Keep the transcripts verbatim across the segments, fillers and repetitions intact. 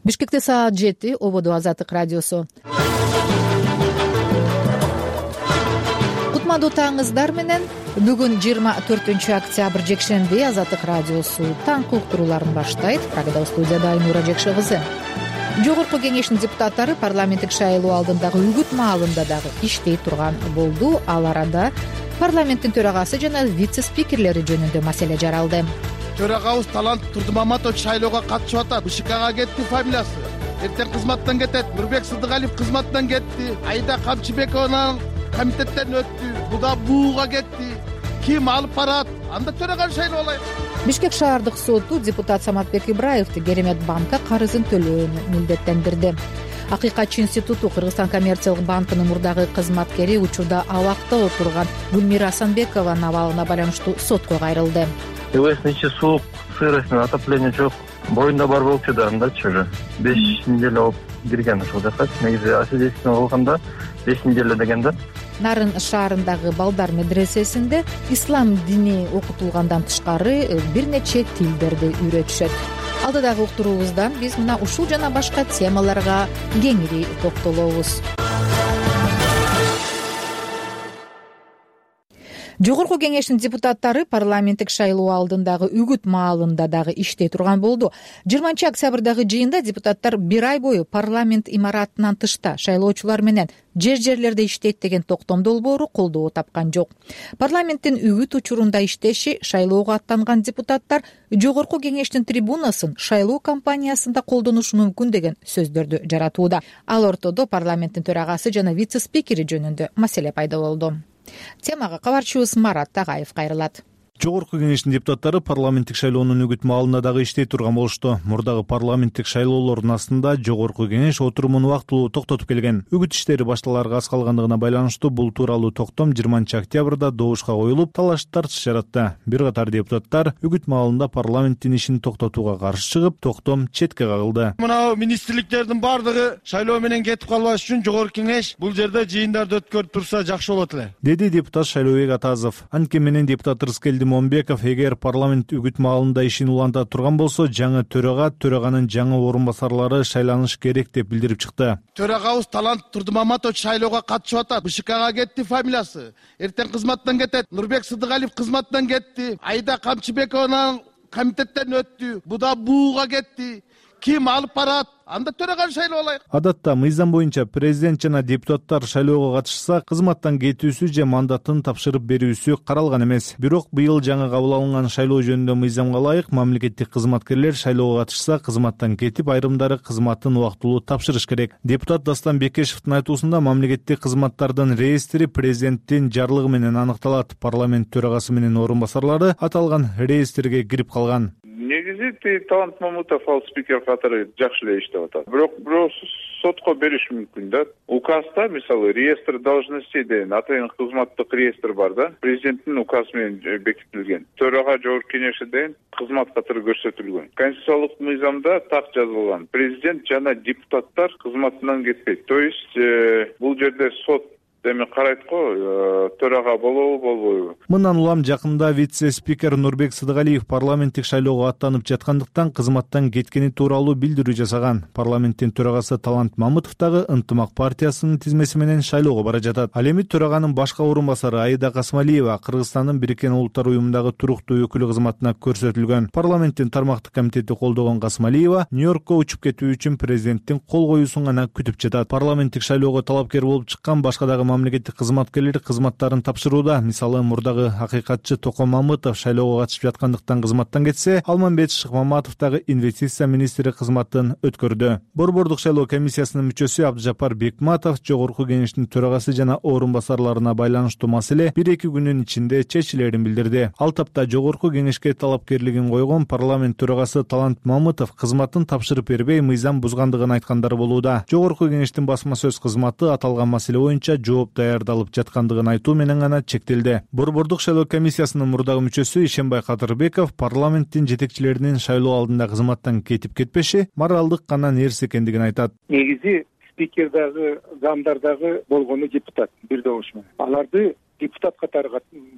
Бишкекте саат жети, ободу Азаттык радиосу. Кутмандуу таңыңыздар менен. Бүгүн жыйырма төртүнчү октябрь жекшемби Азаттык радиосу таңкы уктурууларын баштайт. Программада студияда Айнура Жекше кызы. Жогорку кеңештин депутаттары парламенттик шайлоо алдындагы үгүт маалында дагы иштей турган болду. Ал арада парламенттин төрагасы жана вице-спикерлери жөнүндө маселе жаралды. Төрагабыз Талант Турдумаматович шайлоого катышып атат. БШКга кетти фамилиясы. Эртең кызматтан кетет. Нурбек Сыдыгалиев кызматтан кетти. Айда Камчыбекова комитеттен өттү. Буда бууга кетти. Ким алып барат? Анда төраганы шайлоолайт. Бишкек шаардык соту депутат Саматбек Ибраевди Керемет банкка карызын төлөөнү милдеттендирди. Акыйкатчы институту Кыргызстан коммерциялык банкынын мурдагы кызматкери учурда абакта отурган Гүлмира Асанбекованын абалына байланыштуу сотко кайрылды. Эвестин ичи суук, сырость, отопление жок. Боюнда бар болчу да, андачы уже беш неделе болуп кирген ушул жака. Негизи освидетельствование кылганда беш неделе деген да. Нарын шаарындагы балдар медресесинде ислам дини окутулгандан тышкары бир нече тилдерди үйрөтүшөт. Алдыдагы уктуруубуздан биз мына ушул жана башка темаларга кеңири токтолобуз. Жогорку кеңештин депутаттары парламенттик шайлоо алдындагы үгүт маалында дагы иштей турган болду. жыйырманчы октябрдагы жыйында депутаттар бир ай бою парламент имаратынан тышта шайлоочулар менен жер-жерлерде иштейт деген токтом долбоору колдоо тапкан жок. Парламенттин үгүт учурунда иштеши шайлоого аттанган депутаттар жогорку кеңештин трибунасын шайлоо кампаниясында колдонушу мүмкүн деген сөздөрдү жаратууда. Ал ортодо парламенттин төрагасы жана вице-спикери жөнүндө маселе пайда болду. Темага кабарчыбыз Марат Тагаев кайрылат. Жогорку кеңештин депутаттары парламенттик шайлоонун үгүт маалында дагы иштей турган болушту. Мурдагы парламенттик шайлоолордун астында жогорку кеңеш отурумун убактылуу токтотуп келген. Үгүт иштери башталарга аз калгандыгына байланыштуу бул тууралуу токтом жыйырманчы октябрда добушка коюлуп, талаш тартыш жаратты. Бир катар депутаттар үгүт маалында парламенттин ишин токтотууга каршы чыгып, токтом четке кагылды. Мына министрликтердин бардыгы шайлоо менен кетип калбаш үчүн жогорку кеңеш бул жерде жыйындарды өткөрүп турса жакшы болот эле, деди депутат Шайлообек Атазов. Анткени менен депутат Рыскелди Момбеков эгер парламент үгүт маалында ишин уланта турган болсо, жаңы төрага, төраганын жаңы орун басарлары шайланыш керек деп билдирип чыкты. Төрагабыз Талант Турдумаматович шайлоого катышып атат. БШКга кетти фамилиясы. Эртең кызматтан кетет. Нурбек Сыдыгалиев кызматтан кетти. Айда Камчыбекова комитеттен өттү. Буда бууга кетти. Ким алып барат? Анда төраганы шайлоолайт. Адатта мыйзам боюнча президент жана депутаттар шайлоого катышса, кызматтан кетүүсү же мандатын тапшырып берүүсү каралган эмес. Бирок быйыл жаңы кабыл алынган шайлоо жөнүндө мыйзамга ылайык мамлекеттик кызматкерлер шайлоого катышса, кызматтан кетип, айрымдары кызматын убактылуу тапшырыш керек. Депутат Дастан Бекешевдин айтуусунда мамлекеттик кызматтардын реестри президенттин жарлыгы менен аныкталат. Парламент төрагасы менен орун басарлары аталган реестрге кирип калган. Негизи Талант Мамытов ал спикер катары жакшы эле иштеп атат. Бирок бирөө сотко бериш мүмкүн да. Указда, мисалы, реестр должностей деген атайын кызматтык реестр бар да. Президенттин указы менен бекитилген. Төрага жогорку кеңеши деген кызмат катары көрсөтүлгөн. Конституциялык мыйзамда так жазылган. Президент жана депутаттар кызматынан кетпейт. То есть бул жерде сот эми карайт го, төрага болобу, болбойбу. Мындан улам жакында вице-спикер Нурбек Сыдыгалиев парламенттик шайлоого аттанып жаткандыктан кызматтан кеткени тууралуу билдирүү жасаган. Парламенттин төрагасы Талант Мамытов дагы Ынтымак партиясынын тизмеси менен шайлоого бара жатат. Ал эми төраганын башка орун басары Аида Касмалиева Кыргызстандын Бириккен Улуттар уюмундагы туруктуу өкүлү кызматына көрсөтүлгөн. Парламенттин тармактык комитети колдогон Касмалиева Нью-Йоркко учуп кетүү үчүн президенттин кол коюусун гана күтүп жатат. Парламенттик шайлоого талапкер болуп чыккан башка дагы мамлекеттик кызматкерлер кызматтарын тапшырууда. Мисалы, мурдагы акыйкатчы Током Мамытов шайлоого катышып жаткандыктан кызматтан кетсе, Алмамбет Шыкмаматов дагы инвестиция министри кызматын өткөрдү. Борбордук шайлоо комиссиясынын мүчөсү Абдыжапар Бекматов жогорку кеңештин төрагасы жана орун басарларына байланыштуу маселе бир-эки күнүн ичинде чечилерин билдирди. Ал тапта жогорку кеңешке талапкерлигин койгон парламент төрагасы Талант Мамытов кызматын тапшырып бербей, мыйзам бузгандыгын айткандары болууда. Жогорку кеңештин басма сөз кызматы аталган маселе боюнча жооп даярдалып жаткандыгын айтуу менен гана чектелди. Борбордук шайлоо комиссиясынын мурдагы мүчөсү Ишенбай Кадырбеков парламенттин жетекчилеринин шайлоо алдында кызматтан кетип кетпеши моралдык гана нерсе экендигин айтат. Негизи спикер дагы, замдар дагы болгону депутат бир добуш менен. Аларды депутат катары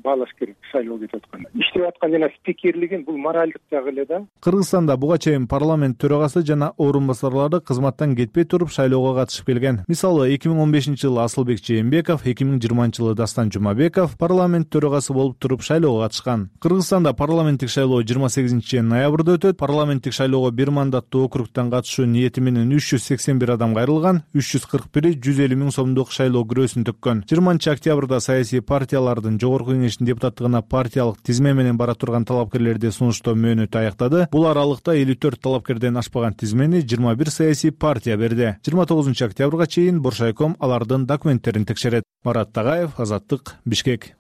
баалаш керек. Шайлоо кетип атканда иштеп аткан жана спикерлигин бул моралдык жагы эле да. Кыргызстанда буга чейин парламент төрагасы жана орун басарлары кызматтан кетпей туруп шайлоого катышып келген. Мисалы эки миң он бешинчи жылы Асылбек Жээнбеков, эки миң жыйырманчы жылы Дастан Жумабеков парламент төрагасы болуп туруп шайлоого катышкан. Кыргызстанда парламенттик шайлоо жыйырма сегизинчи ноябрда өтөт. Парламенттик шайлоого бир мандаттуу округтан катышуу ниети менен үч жүз сексен бир адам кайрылган, үч жүз кырк бири жүз элүү миң сомдук шайлоо күрөөсүн төккөн. жыйырманчы октябрда саясий партиялардын жогорку кеңешинин депутаттыгына партиялык тизме менен бара турган талапкерлерди сунуштоо мөөнөтү аякта. Бул аралыкта элүү төрт талапкерден ашпаган тизмени жыйырма бир саясий партия берди. жыйырма тогузунчу октябрга чейин Боршайком алардын документтерин текшерет. Марат Тагаев, Азаттык, Бишкек.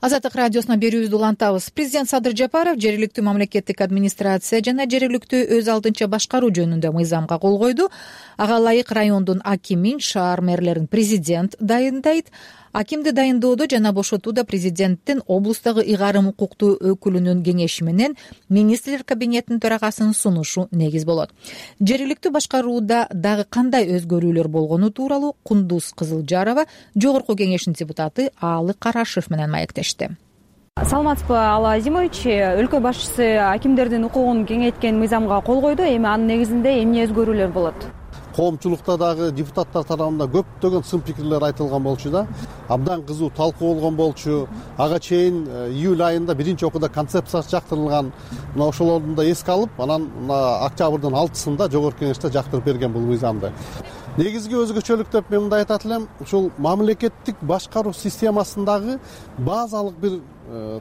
Азаттык радиосуна берүүбүздү улантабыз. Президент Садыр Жапаров жергиликтүү мамлекеттик администрация жана жергиликтүү өз алдынча башкаруу жөнүндө мыйзамга кол койду. Ага ылайык райондун акимин, шаар мэрлерин президент дайындайт. Акимди дайындоодо жана бошотууда президенттин облустагы ыйгарым укуктуу өкүлүнүн кеңеши менен министрлер кабинетинин төрагасынын сунушу негиз болот. Жергиликтүү башкарууда дагы кандай өзгөрүүлөр болгону тууралуу Кундуз Кызылжарова жогорку кеңештин депутаты Аалы Карашев менен маектешти. Саламатсызбы, Ала Азимович. Өлкө башчысы акимдердин укугун кеңейткен мыйзамга кол койду. Эми анын негизинде эмне өзгөрүүлөр болот? Коомчулукта дагы депутаттар тарабынан көптөгөн сын пикирлер айтылган болчу да. Абдан кызуу талкуу болгон болчу. Ага чейин июль айында биринчи окууда концепциясы жактырылган. Мына ошолорду да эске алып, анан октябрдын алтысында жогорку кеңеште жактырып берген бул мыйзамды. Негизги өзгөчөлүк деп мен мындай айтат элем, ушул мамлекеттик башкаруу системасындагы базалык бир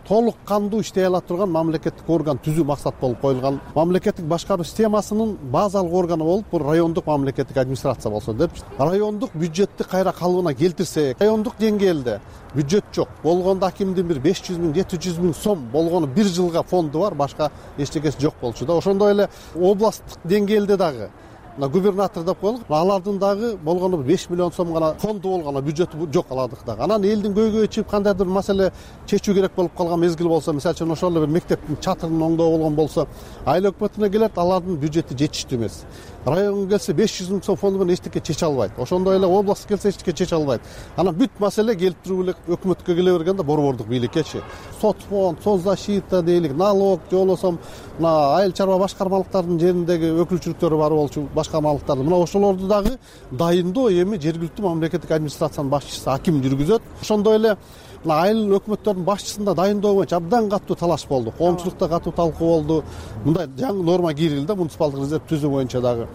толук кандуу иштей ала турган мамлекеттик орган түзүү максат болуп коюлган. Мамлекеттик башкаруу системасынын базалык органы болуп бул райондук мамлекеттик администрация болсо деп. Райондук бюджетти кайра калыбына келтирсек, райондук деңгээлде бюджет жок. Болгондо акимдин бир беш жүз миң, жети жүз миң сом болгону бир жылга фонду бар, башка эчтекеси жок болчу да. Ошондой эле областтык деңгээлде дагы губернатор деп коелук, алардын дагы болгону беш миллион сом гана фонду болгону бюджети жок алардык дагы. Анан элдин көйгөйү чыгып кандайдыр бир маселе чечүү керек болуп калган мезгил болсо, мисалы үчүн ошол эле бир мектептин чатырын оңдоо болгон болсо, айыл өкмөтүнө келет, алардын бюджети жетиштүү эмес. Районго келсе беш жүз миң сом фонду менен эчтеке чече албайт. Ошондой эле областка келсе эчтеке чече албайт. Анан бүт маселе келип туруп эле өкмөткө келе бергенде борбордук бийликкечи. Сот фонд, соцзащита дейлик, налог, же болбосо мына айыл чарба башкармалыктардын жериндеги өкүлчүлүктөрү бар болчу, башкармалыктарды. Мына ошолорду дагы дайындоо эми жергиликтүү мамлекеттик администрациянын башчысы аким жүргүзөт. Ошондой эле айыл өкмөттөрдүн башчысында дайындоо боюнча абдан катуу талаш болду. Коомчулукта катуу талкуу болду. Мындай жаңы норма кирилди, муниципалдык резерв түзүү боюнча дагы.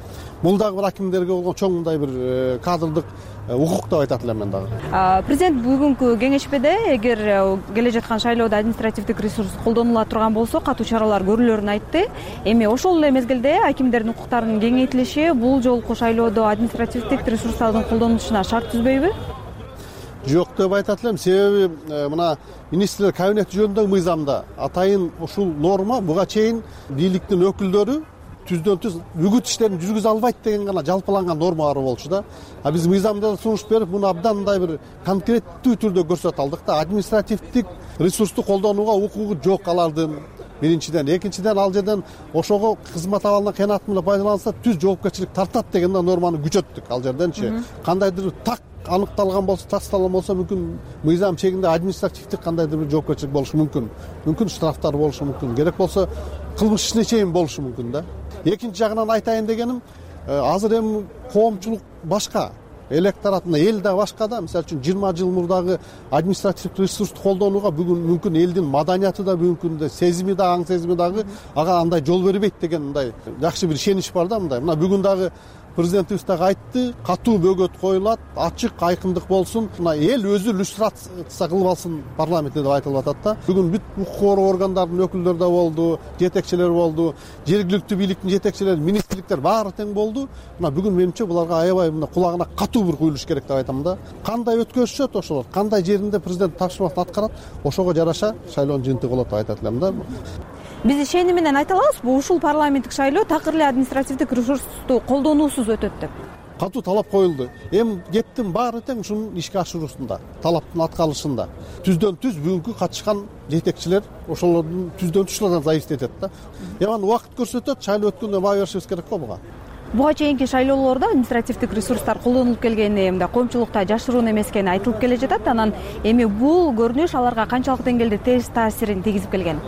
Бул дагы бир акимдерге болгон чоң мындай бир кадрдык укук деп айтат элем мен дагы. Президент бүгүнкү кеңешмеде эгер келе жаткан шайлоодо административдик ресурс колдонула турган болсо, катуу чаралар көрүлөрүн айтты. Эми ошол эле мезгилде акимдердин укуктарынын кеңейтилиши бул жолку шайлоодо административдик ресурстардын колдонулушуна шарт түзбөйбү? Жок деп айтат элем. Себеби мына министрлер кабинети жөнүндөгү мыйзамда атайын ушул норма буга чейин бийликтин өкүлдөрү түздөн түз үгүт иштерин жүргүзө албайт деген гана жалпыланган норма бар болчу да. А биз мыйзамда сунуш берип, муну абдан мындай бир конкреттүү түрдө көрсөтө алдык да. Административдик ресурсту колдонууга укугу жок алардын. Биринчиден, экинчиден ал жерден ошого кызмат абалынан кыянат менен пайдаланса түз жоопкерчилик тартат деген норманы күчөттүк ал жерденчи. Кандайдыр так аныкталган болсо, тасталган болсо, мүмкүн мыйзам чегинде административдик кандайдыр бир жоопкерчилик болушу мүмкүн. Мүмкүн штрафтар болушу мүмкүн. Керек болсо кылмыш ишине чейин болушу мүмкүн да. Экинчи жагынан айтайын дегеним, азыр эми коомчулук башка, электоратына эл да башка да. Мисалы үчүн жыйырма жыл мурдагы административдик ресурсту колдонууга бүгүн мүмкүн элдин маданияты да, мүмкүн сезими да, аң сезими дагы ага андай жол бербейт деген мындай жакшы бир ишенич бар да мындай. Мына бүгүн дагы президентибиз дагы айтты, катуу бөгөт коюлат, ачык, айкындык болсун. Мына эл өзү иллюстрация кылып алсын парламентте деп айтылып атат да. Бүгүн бүт укук коргоо органдарынын өкүлдөрү да болду, жетекчилер болду, жергиликтүү бийликтин жетекчилери, министрликтер баары тең болду. Мына бүгүн менимче буларга аябай мына кулагына катуу бир куюлуш керек деп айтам да. Кандай өткөзүшөт ошолор, кандай жеринде президент тапшырмасын аткарат, ошого жараша шайлоонун жыйынтыгы болот деп айтат элем да. Биз ишеним менен айта алабызбы, ушул парламенттик шайлоо такыр эле административдик ресурсту колдонуусуз өтөт деп? Катуу талап коюлду. Эми кептин баары тең ушунун ишке ашыруусунда, талаптын аткарылышында. Түздөн түз бүгүнкү катышкан жетекчилер ошолордун түздөн түз ушулардан зависит этет да. Эми убакыт көрсөтөт, шайлоо өткөндө баа беришибиз керек го буга. Буга чейинки шайлоолордо административдик ресурстар колдонулуп келгени, мындай коомчулукта жашыруун эмес экени айтылып келе жатат. Анан эми бул көрүнүш аларга канчалык деңгээлде терс таасирин тийгизип келген?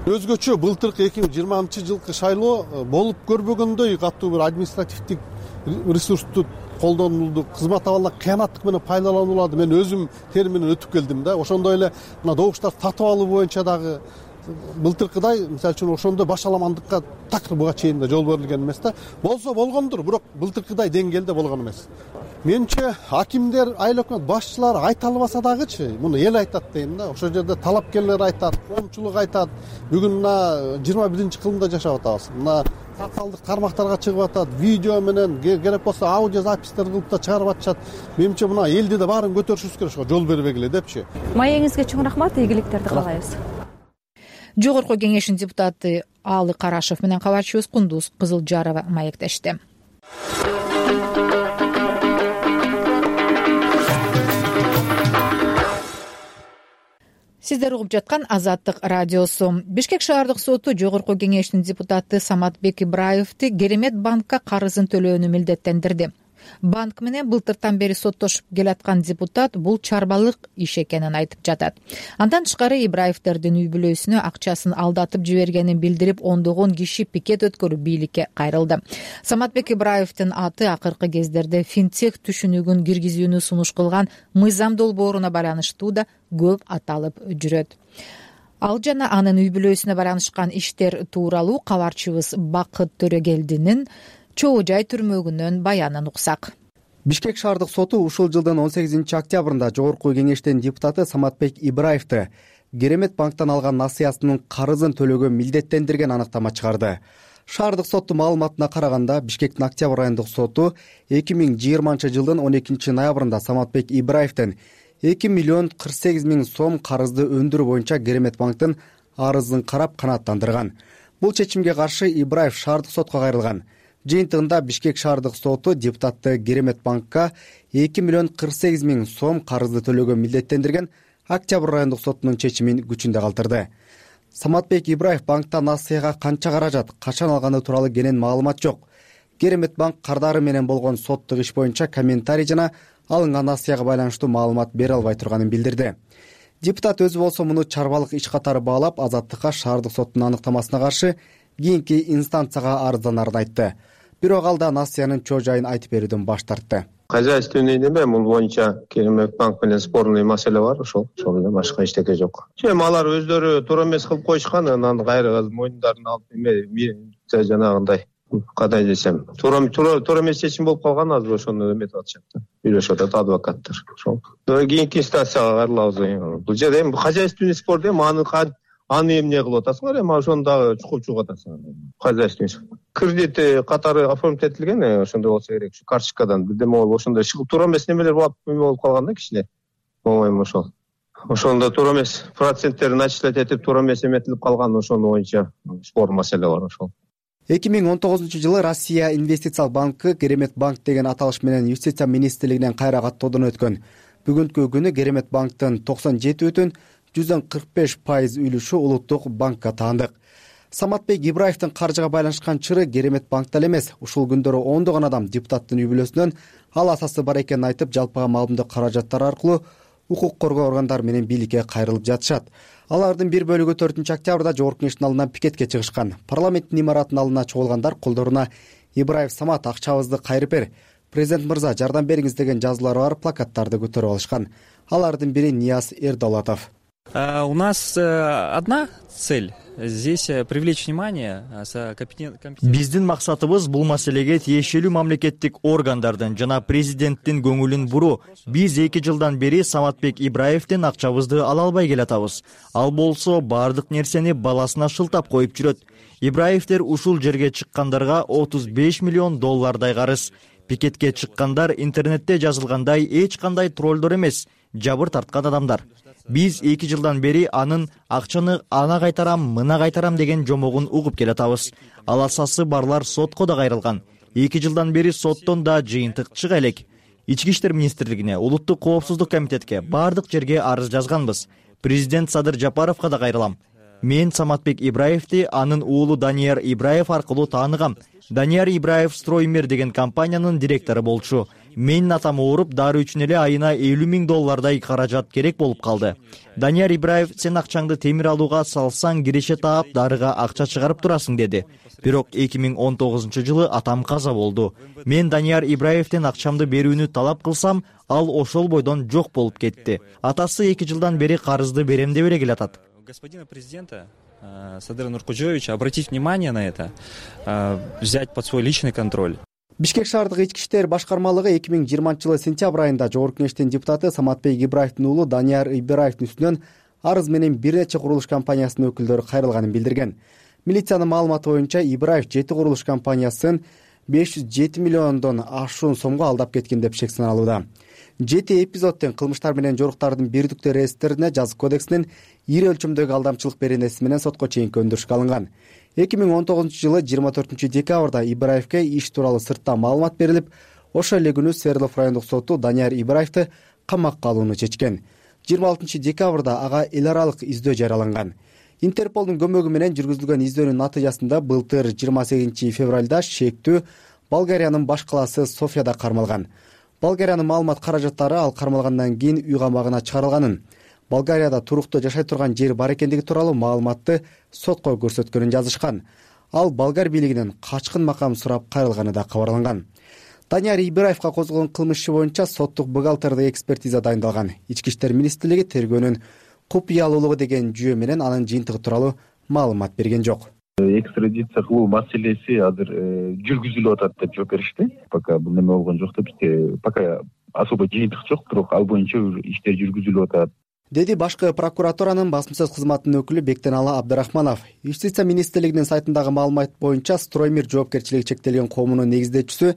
Өзгөчө былтыркы эки миң жыйырманчы жылкы шайлоо болуп көрбөгөндөй катуу бир административдик ресурсту колдонулду, кызмат абалына кыянаттык менен пайдаланууларды мен өзүм тери менен өтүп келдим да. Ошондой эле мына добуштарды сатып алуу боюнча дагы былтыркыдай мисалы үчүн ошондой башаламандыкка так буга чейин да жол берилген эмес да. Болсо болгондур, бирок былтыркыдай деңгээлде болгон эмес. Менимче акимдер, айыл өкмөт башчылары айта албаса дагычы, муну эл айтат дейм да. Ошол жерде талапкерлер айтат, коомчулук айтат. Бүгүн мына жыйырма биринчи кылымда жашап атабыз. Мына социалдык тармактарга чыгып атат, видео менен, керек болсо аудио запистер кылып да чыгарып атышат. Менимче мына элди да баарын көтөрүшүбүз керек, ошого жол бербегиле депчи. Маегиңизге чоң рахмат, ийгиликтерди каалайбыз. Жогорку кеңештин депутаты Алы Карашев менен кабарчыбыз Кундуз Кызылжарова маектешти. Сиздер угуп жаткан Азаттык радиосу. Бишкек шаардык соту жогорку кеңештин депутаты Саматбек Ибраевди Керемет банкка карызын төлөөнү милдеттендирди. Банк менен былтыртан бери соттошуп келаткан депутат бул чарбалык иш экенин айтып жатат. Андан тышкары Ибраевдердин үй бүлөсүнө акчасын алдатып жибергенин билдирип, ондогон киши пикет өткөрүп бийликке кайрылды. Саматбек Ибраевдин аты акыркы кездерде финтех түшүнүгүн киргизүүнү сунуш кылган мыйзам долбооруна байланыштуу да көп аталып жүрөт. Ал жана анын үй бүлөсүнө байланышкан иштер тууралуу кабарчыбыз Бакыт Төрөгелдинин Чоо жай түрмөгүнөн баянын уксак. Бишкек шаардык соту ушул жылдын он сегизинчи октябрында жогорку кеңештин депутаты Саматбек Ибраевди Керемет банктан алган насыясынын карызын төлөөгө милдеттендирген аныктама чыгарды. Шаардык соттун маалыматына караганда, Бишкектин Октябрь айындык соту эки миң жыйырманчы жылдын он экинчи ноябрында Саматбек Ибраевдин эки миллион кырк сегиз миң сом карызды өндүрүү боюнча Керемет банктын арызын карап канааттандырган. Бул чечимге каршы Ибраев шаардык сотко кайрылган. Жыйынтыгында Бишкек шаардык соту депутатты Керемет банкка эки миллион кырк сегиз миң сом карызды төлөөгө милдеттендирген Октябрь райондук сотунун чечимин күчүндө калтырды. Саматбек Ибраев банктан насыяга канча каражат, качан алганы тууралуу кенен маалымат жок. Керемет банк кардары менен болгон соттук иш боюнча комментарий жана алынган насыяга байланыштуу маалымат бере албай турганын билдирди. Депутат өзү болсо муну чарбалык иш катары баалап, Азаттыкка шаардык соттун аныктамасына каршы кийинки инстанцияга арызданарын айтты. Бирок ал да насыянын чоо жайын айтып берүүдөн баш тартты. Хозяйственный неме, бул боюнча Керемет банк менен спорный маселе бар, ошол ошол эле, башка эчтеке жок. Эми алар өздөрү туура эмес кылып коюшкан, анан кайра мойундарын алып эме жанагындай кандай десем, туура туура эмес чечим болуп калган, азыр ошону эметип атышат да. Үйлөшүп атат адвокаттар. Ошол. Кийинки инстанцияга кайрылабыз. Бул жерде эми хозяйственный спор дейм, аны аны эмне кылып атасыңар, эми ошону дагы чукуп чугуп атасыңар. Хозяйственный кредит катары оформить этилген, ошондой болсо керек. Ушу карточкадан бирдеме болуп, ошондой туура эмес немелер болуп болуп калган да кичине. По-моему, ошол. Ошондо туура эмес проценттерин начислять этип, туура эмес эметилип калган, ошону боюнча спор маселе бар ошол. эки миң он тогузунчу жылы Россия инвестициялык банкы Керемет банк деген аталыш менен Юстиция министрлигинен кайра каттоодон өткөн. Бүгүнкү күнү Керемет банктын токсон жети бүтүн жүздөн кырк беш пайыз үлүшү улуттук банкка таандык. Саматбек Ибраевдин каржыга байланышкан чыры Керемет банкта эле эмес, ушул күндөрү ондогон адам депутаттын үй бүлөсүнөн ал асасы бар экенин айтып, жалпыга маалымдоо каражаттары аркылуу укук коргоо органдары менен бийликке кайрылып жатышат. Алардын бир бөлүгү төртүнчү октябрда жогорку кеңештин алдынан пикетке чыгышкан. Парламенттин имаратынын алдына чогулгандар колдоруна Ибраев Самат акчабызды кайрып бер, президент мырза жардам бериңиз деген жазуулары бар плакаттарды көтөрүп алышкан. Алардын бири Нияз Эрдолатов. У нас одна цель здесь привлечь внимание. Биздин максатыбыз бул маселеге тиешелүү мамлекеттик органдардын жана президенттин көңүлүн буруу. Биз эки жылдан бери Саматбек Ибраевдин акчабызды ала албай келатабыз. Ал болсо бардык нерсени баласына шылтап коюп жүрөт. Ибраевдер ушул жерге чыккандарга отуз беш миллион доллардай карыз. Пикетке чыккандар интернетте жазылгандай эч кандай троллдор эмес, жабыр тарткан адамдар. Биз эки жылдан бери анын акчаны ана кайтарам, мына кайтарам деген жомогун угуп келатабыз. Ал асасы барлар сотко да кайрылган. эки жылдан бери соттон да жыйынтык чыга элек. Ички иштер министрлигине, улуттук коопсуздук комитетке, бардык жерге арыз жазганбыз. Президент Садыр Жапаровго да кайрылам. Мен Саматбек Ибраевди анын уулу Данияр Ибраев аркылуу тааныгам. Данияр Ибраев Строймир деген компаниянын директору болчу. Менин атам ооруп, дары үчүн эле айына элүү миң доллардай каражат керек болуп калды. Данияр Ибраев, сен акчаңды темир алууга салсаң киреше таап, дарыга акча чыгарып турасың деди. Бирок эки миң он тогузунчу жылы атам каза болду. Мен Данияр Ибраевден акчамды берүүнү талап кылсам, ал ошол бойдон жок болуп кетти. Атасы эки жылдан бери карызды берем деп эле келатат. Господина президента Садыра Нуркожоевича обратить внимание на это, взять под свой личный контроль. Бишкек шаардык ички иштер башкармалыгы эки миң жыйырманчы жылы сентябрь айында Жогорку Кеңештин депутаты Саматбек Ибраевдин уулу Данияр Ибраевдин үстүнөн арыз менен бир нече курулуш компаниясынын өкүлдөрү кайрылганын билдирген. Милициянын маалыматы боюнча Ибраев жети курулуш компаниясын беш жүз жети миллиондон ашуун сомго алдап кеткен деп шек саналууда. Жети эпизод тең кылмыштар менен жоруктардын бирдиктүү реестрине жазык кодексинин ири өлчөмдөгү алдамчылык беренеси менен сотко чейинки өндүрүшкө алынган. эки миң он тогузунчу жылы жыйырма төртүнчү декабрда Ибраевке иш тууралуу сырттан маалымат берилип, ошол эле күнү Свердлов райондук соту Данияр Ибраевди камакка алууну чечкен. жыйырма алтынчы декабрда ага эл аралык издөө жарыяланган. Интерполдун көмөгү менен жүргүзүлгөн издөөнүн натыйжасында былтыр жыйырма сегизинчи февралда шектүү Болгариянын баш калаасы Софияда кармалган. Болгариянын маалымат каражаттары ал кармалгандан кийин үй камагына чыгарылганын, Болгарияда туруктуу жашай турган жер бар экендиги тууралуу маалыматты сотко көрсөткөнүн жазышкан. Ал болгар бийлигинен качкын макам сурап кайрылганы да кабарланган. Данияр Ибраевга козголгон кылмыш иши боюнча соттук бухгалтердик экспертиза дайындалган. Ички иштер министрлиги тергөөнүн купуялуулугу деген жүйө менен анын жыйынтыгы тууралуу маалымат берген жок. Экстрадиция кылуу маселеси азыр жүргүзүлүп атат деп жооп беришти. Пока бул неме болгон жок деп, бизде пока особо жыйынтык жок, бирок ал боюнча иштер жүргүзүлүп атат, деди башкы прокуратуранын басма сөз кызматынын өкүлү Бектеналы Абдрахманов. Юстиция министрлигинин сайтындагы маалымат боюнча Строймир жоопкерчилиги чектелген коомунун негиздечүүсү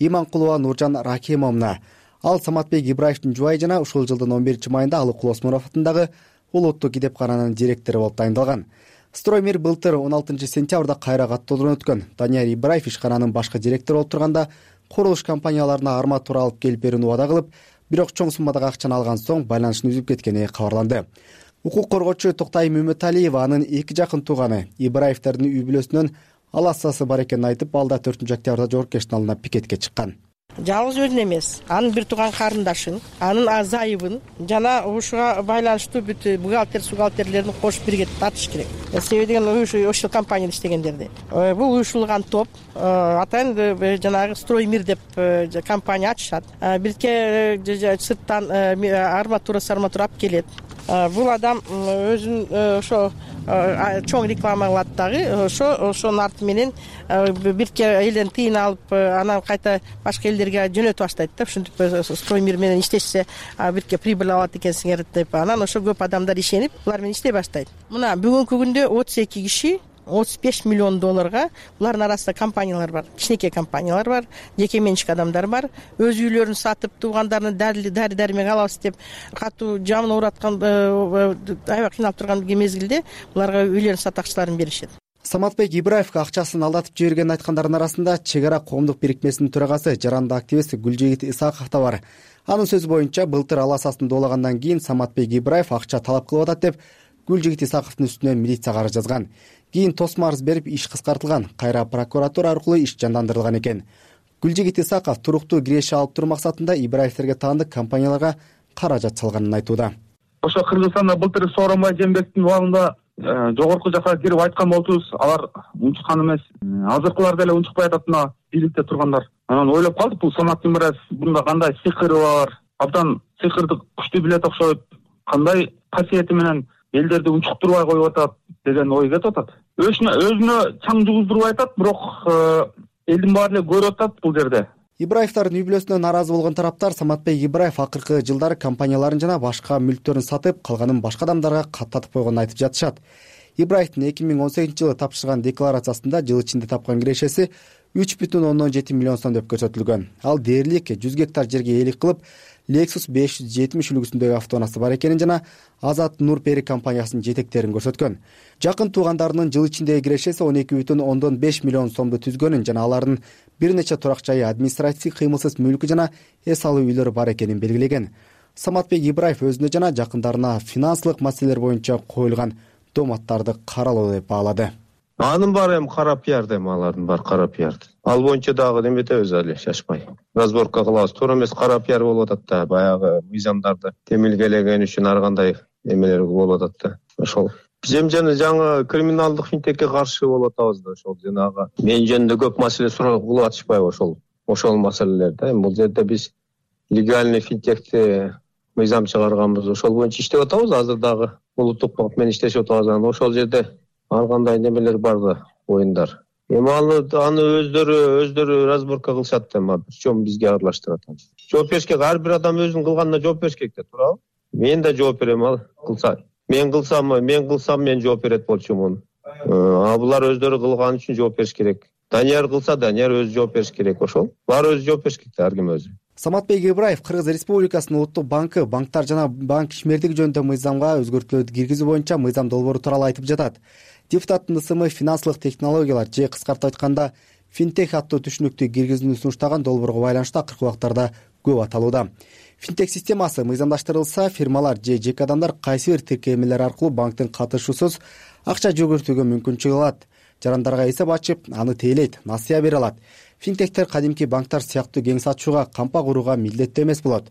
Иманкулова Нуржан Рахимовна. Ал Саматбек Ибраевдин жубайы жана ушул жылдын он биринчи майында Алыкул Осмонов атындагы улуттук китепкананын директору болуп тайындалган. Строймир былтыр он алтынчы сентябрда кайра каттоодон өткөн. Данияр Ибраев ишкананын башкы директору болуп турганда курулуш компанияларына арматура алып келип берүүнү убада кылып, бирок чоң суммадагы акчаны алган соң байланышын үзүп кеткени кабарланды. Укук коргоочу Токтайым Үмөталиева анын эки жакын тууганы Ибраевдердин үй бүлөсүнөн аласасы бар экенин айтып, алда төртүнчү октябрда Жогорку Кеңештин алдына пикетке чыккан. Жалгыз өзүн эмес, анын бир тууган карындашын, анын азайыбын жана ушуга байланыштуу бүт бухгалтер, бухгалтерлерин кошуп бирге тартыш керек. Себеби деген ошол компанияда иштегендерди. Бул уюшулган топ атайын жанагы Строймир деп компания ачышат. Бирке сырттан арматура сарматура алып келет. Бул адам өзүн ошо чоң реклама кылат дагы, ошо ошонун арты менен бирке элден тыйын алып, анан кайта башка элдерге жөнөтүп баштайт да. Ушинтип Строймир менен иштешсе бирке прибыль алат экенсиңер деп, анан ошо көп адамдар ишенип, булар менен иштей баштайт. Мына бүгүнкү күндө отуз эки киши отуз беш миллион долларга, булардын арасында компаниялар бар, кичинекей компаниялар бар, жеке менчик адамдар бар. Өз үйлөрүн сатып, туугандарына дари дармек алабыз деп, катуу жамын оораткан, аябай кыйналып турган мезгилде буларга үйлөрүн сатакчыларын беришет. Саматбек Ибраевге акчасын алдатып жибергенин айткандардын арасында Чек ара коомдук бирикмесинин төрагасы, жарандык активист Гүлжигит Исаков да бар. Анын сөзү боюнча, былтыр аласасын доолагандан кийин Саматбек Ибраев акча талап кылып атат деп Гүлжигит Исаковдун үстүнө милицияга арыз жазган. Кийин тосмо арыз берип, иш кыскартылган, кайра прокуратура аркылуу иш жандандырылган экен. Гүлжигит Исаков туруктуу киреше алып туруу максатында Ибраевтерге таандык компанияларга каражат салганын айтууда. Ошо Кыргызстанда былтыр Сооронбай Жээнбековдун убагында жогорку жака кирип айткан болчубуз, алар унчуккан эмес. Азыркылар деле унчукпай атат, мына бийликте тургандар. Анан ойлоп калдык, бул Самат Ибраев мында кандай сыйкыры бар, абдан сыйкырды күчтүү билет окшойт, кандай касиети менен элдерди унчуктурбай коюп атат деген ой кетип атат. Өзүнө өзүнө чаң жугуздурбай атат, бирок элдин баары эле көрүп атат бул жерде. Ибраевдардын үй бүлөсүнө нааразы болгон тараптар Саматбек Ибраев акыркы жылдары компанияларын жана башка мүлктөрүн сатып, калганын башка адамдарга каттатып койгонун айтып жатышат. Ибраевдин эки миң он сегизинчи жылы тапшырган декларациясында жыл ичинде тапкан кирешеси үч бүтүн ондон жети миллион сом деп көрсөтүлгөн. Ал дээрлик жүз гектар жерге ээлик кылып, Lexus беш жүз жетимиш үлгүсүндөгү автоунаасы бар экенин жана Азат Нурпери компаниясынын жетектерин көрсөткөн. Жакын туугандарынын жыл ичиндеги кирешеси он эки бүтүн ондон беш миллион сомду түзгөнүн жана алардын бир нече турак жайы, административдик кыймылсыз мүлкү жана эс алуу үйлөрү бар экенин белгилеген. Саматбек Ибраев өзүнө жана жакындарына финансылык маселелер боюнча коюлган дооматтарды каралоо деп баалады. Анын баары эми кара пиар эми алардын баары кара пиар. Ал боюнча дагы неметебиз али шашпай. Разборка кылабыз. Туура эмес кара пиар болуп атат да. Баягы мыйзамдарды темилгелеген үчүн ар кандай эмелер болуп атат да. Ошол Биз жана жаңы криминалдык финтекке каршы болуп атабыз да. Ошол жанагы мен жөнүндө көп маселе суроо кылып атышпайбы ошол ошол маселелерди. Эми бул жерде биз легальный финтекти мыйзам чыгарганбыз. Ошол боюнча иштеп атабыз. Азыр дагы улуттук банк менен иштешип атабыз. Ошол жерде ар кандай немелер бар да, оюндар. Эми аны аны өздөрү өздөрү разборка кылышат эми причем бизге аралаштырат. Жооп бериш керек. Ар бир адам өзүнүн кылганына жооп бериш керек да, туурабы? Мен да жооп берем ал кылса. Мен кылсам, мен кылсам мен жооп берет болчумун. А булар өздөрү кылган үчүн жооп бериш керек. Данияр кылса, Данияр өзү жооп бериш керек. Ошол. Баары өзү жооп бериш керек да, ар ким өзү. Саматбек Ибраев Кыргыз Республикасынын улуттук банкы банктар жана банк ишмердиги жөнүндө мыйзамга өзгөртүүлөрдү киргизүү боюнча мыйзам долбоору тууралуу айтып жатат. Депутаттын ысымы финансылык технологиялар же кыскартып айтканда финтех аттуу түшүнүктү киргизүүнү сунуштаган долбоорго байланыштуу акыркы убактарда көп аталууда. Финтех системасы мыйзамдаштырылса, фирмалар же жеке адамдар кайсы бир тиркемелер аркылуу банктын катышуусуз акча жүгүртүүгө мүмкүнчүлүк алат. Жарандарга эсеп ачып, аны тейлейт, насыя бере алат. Финтехтер кадимки банктар сыяктуу кеңсе ачууга, кампа курууга милдеттүү эмес болот.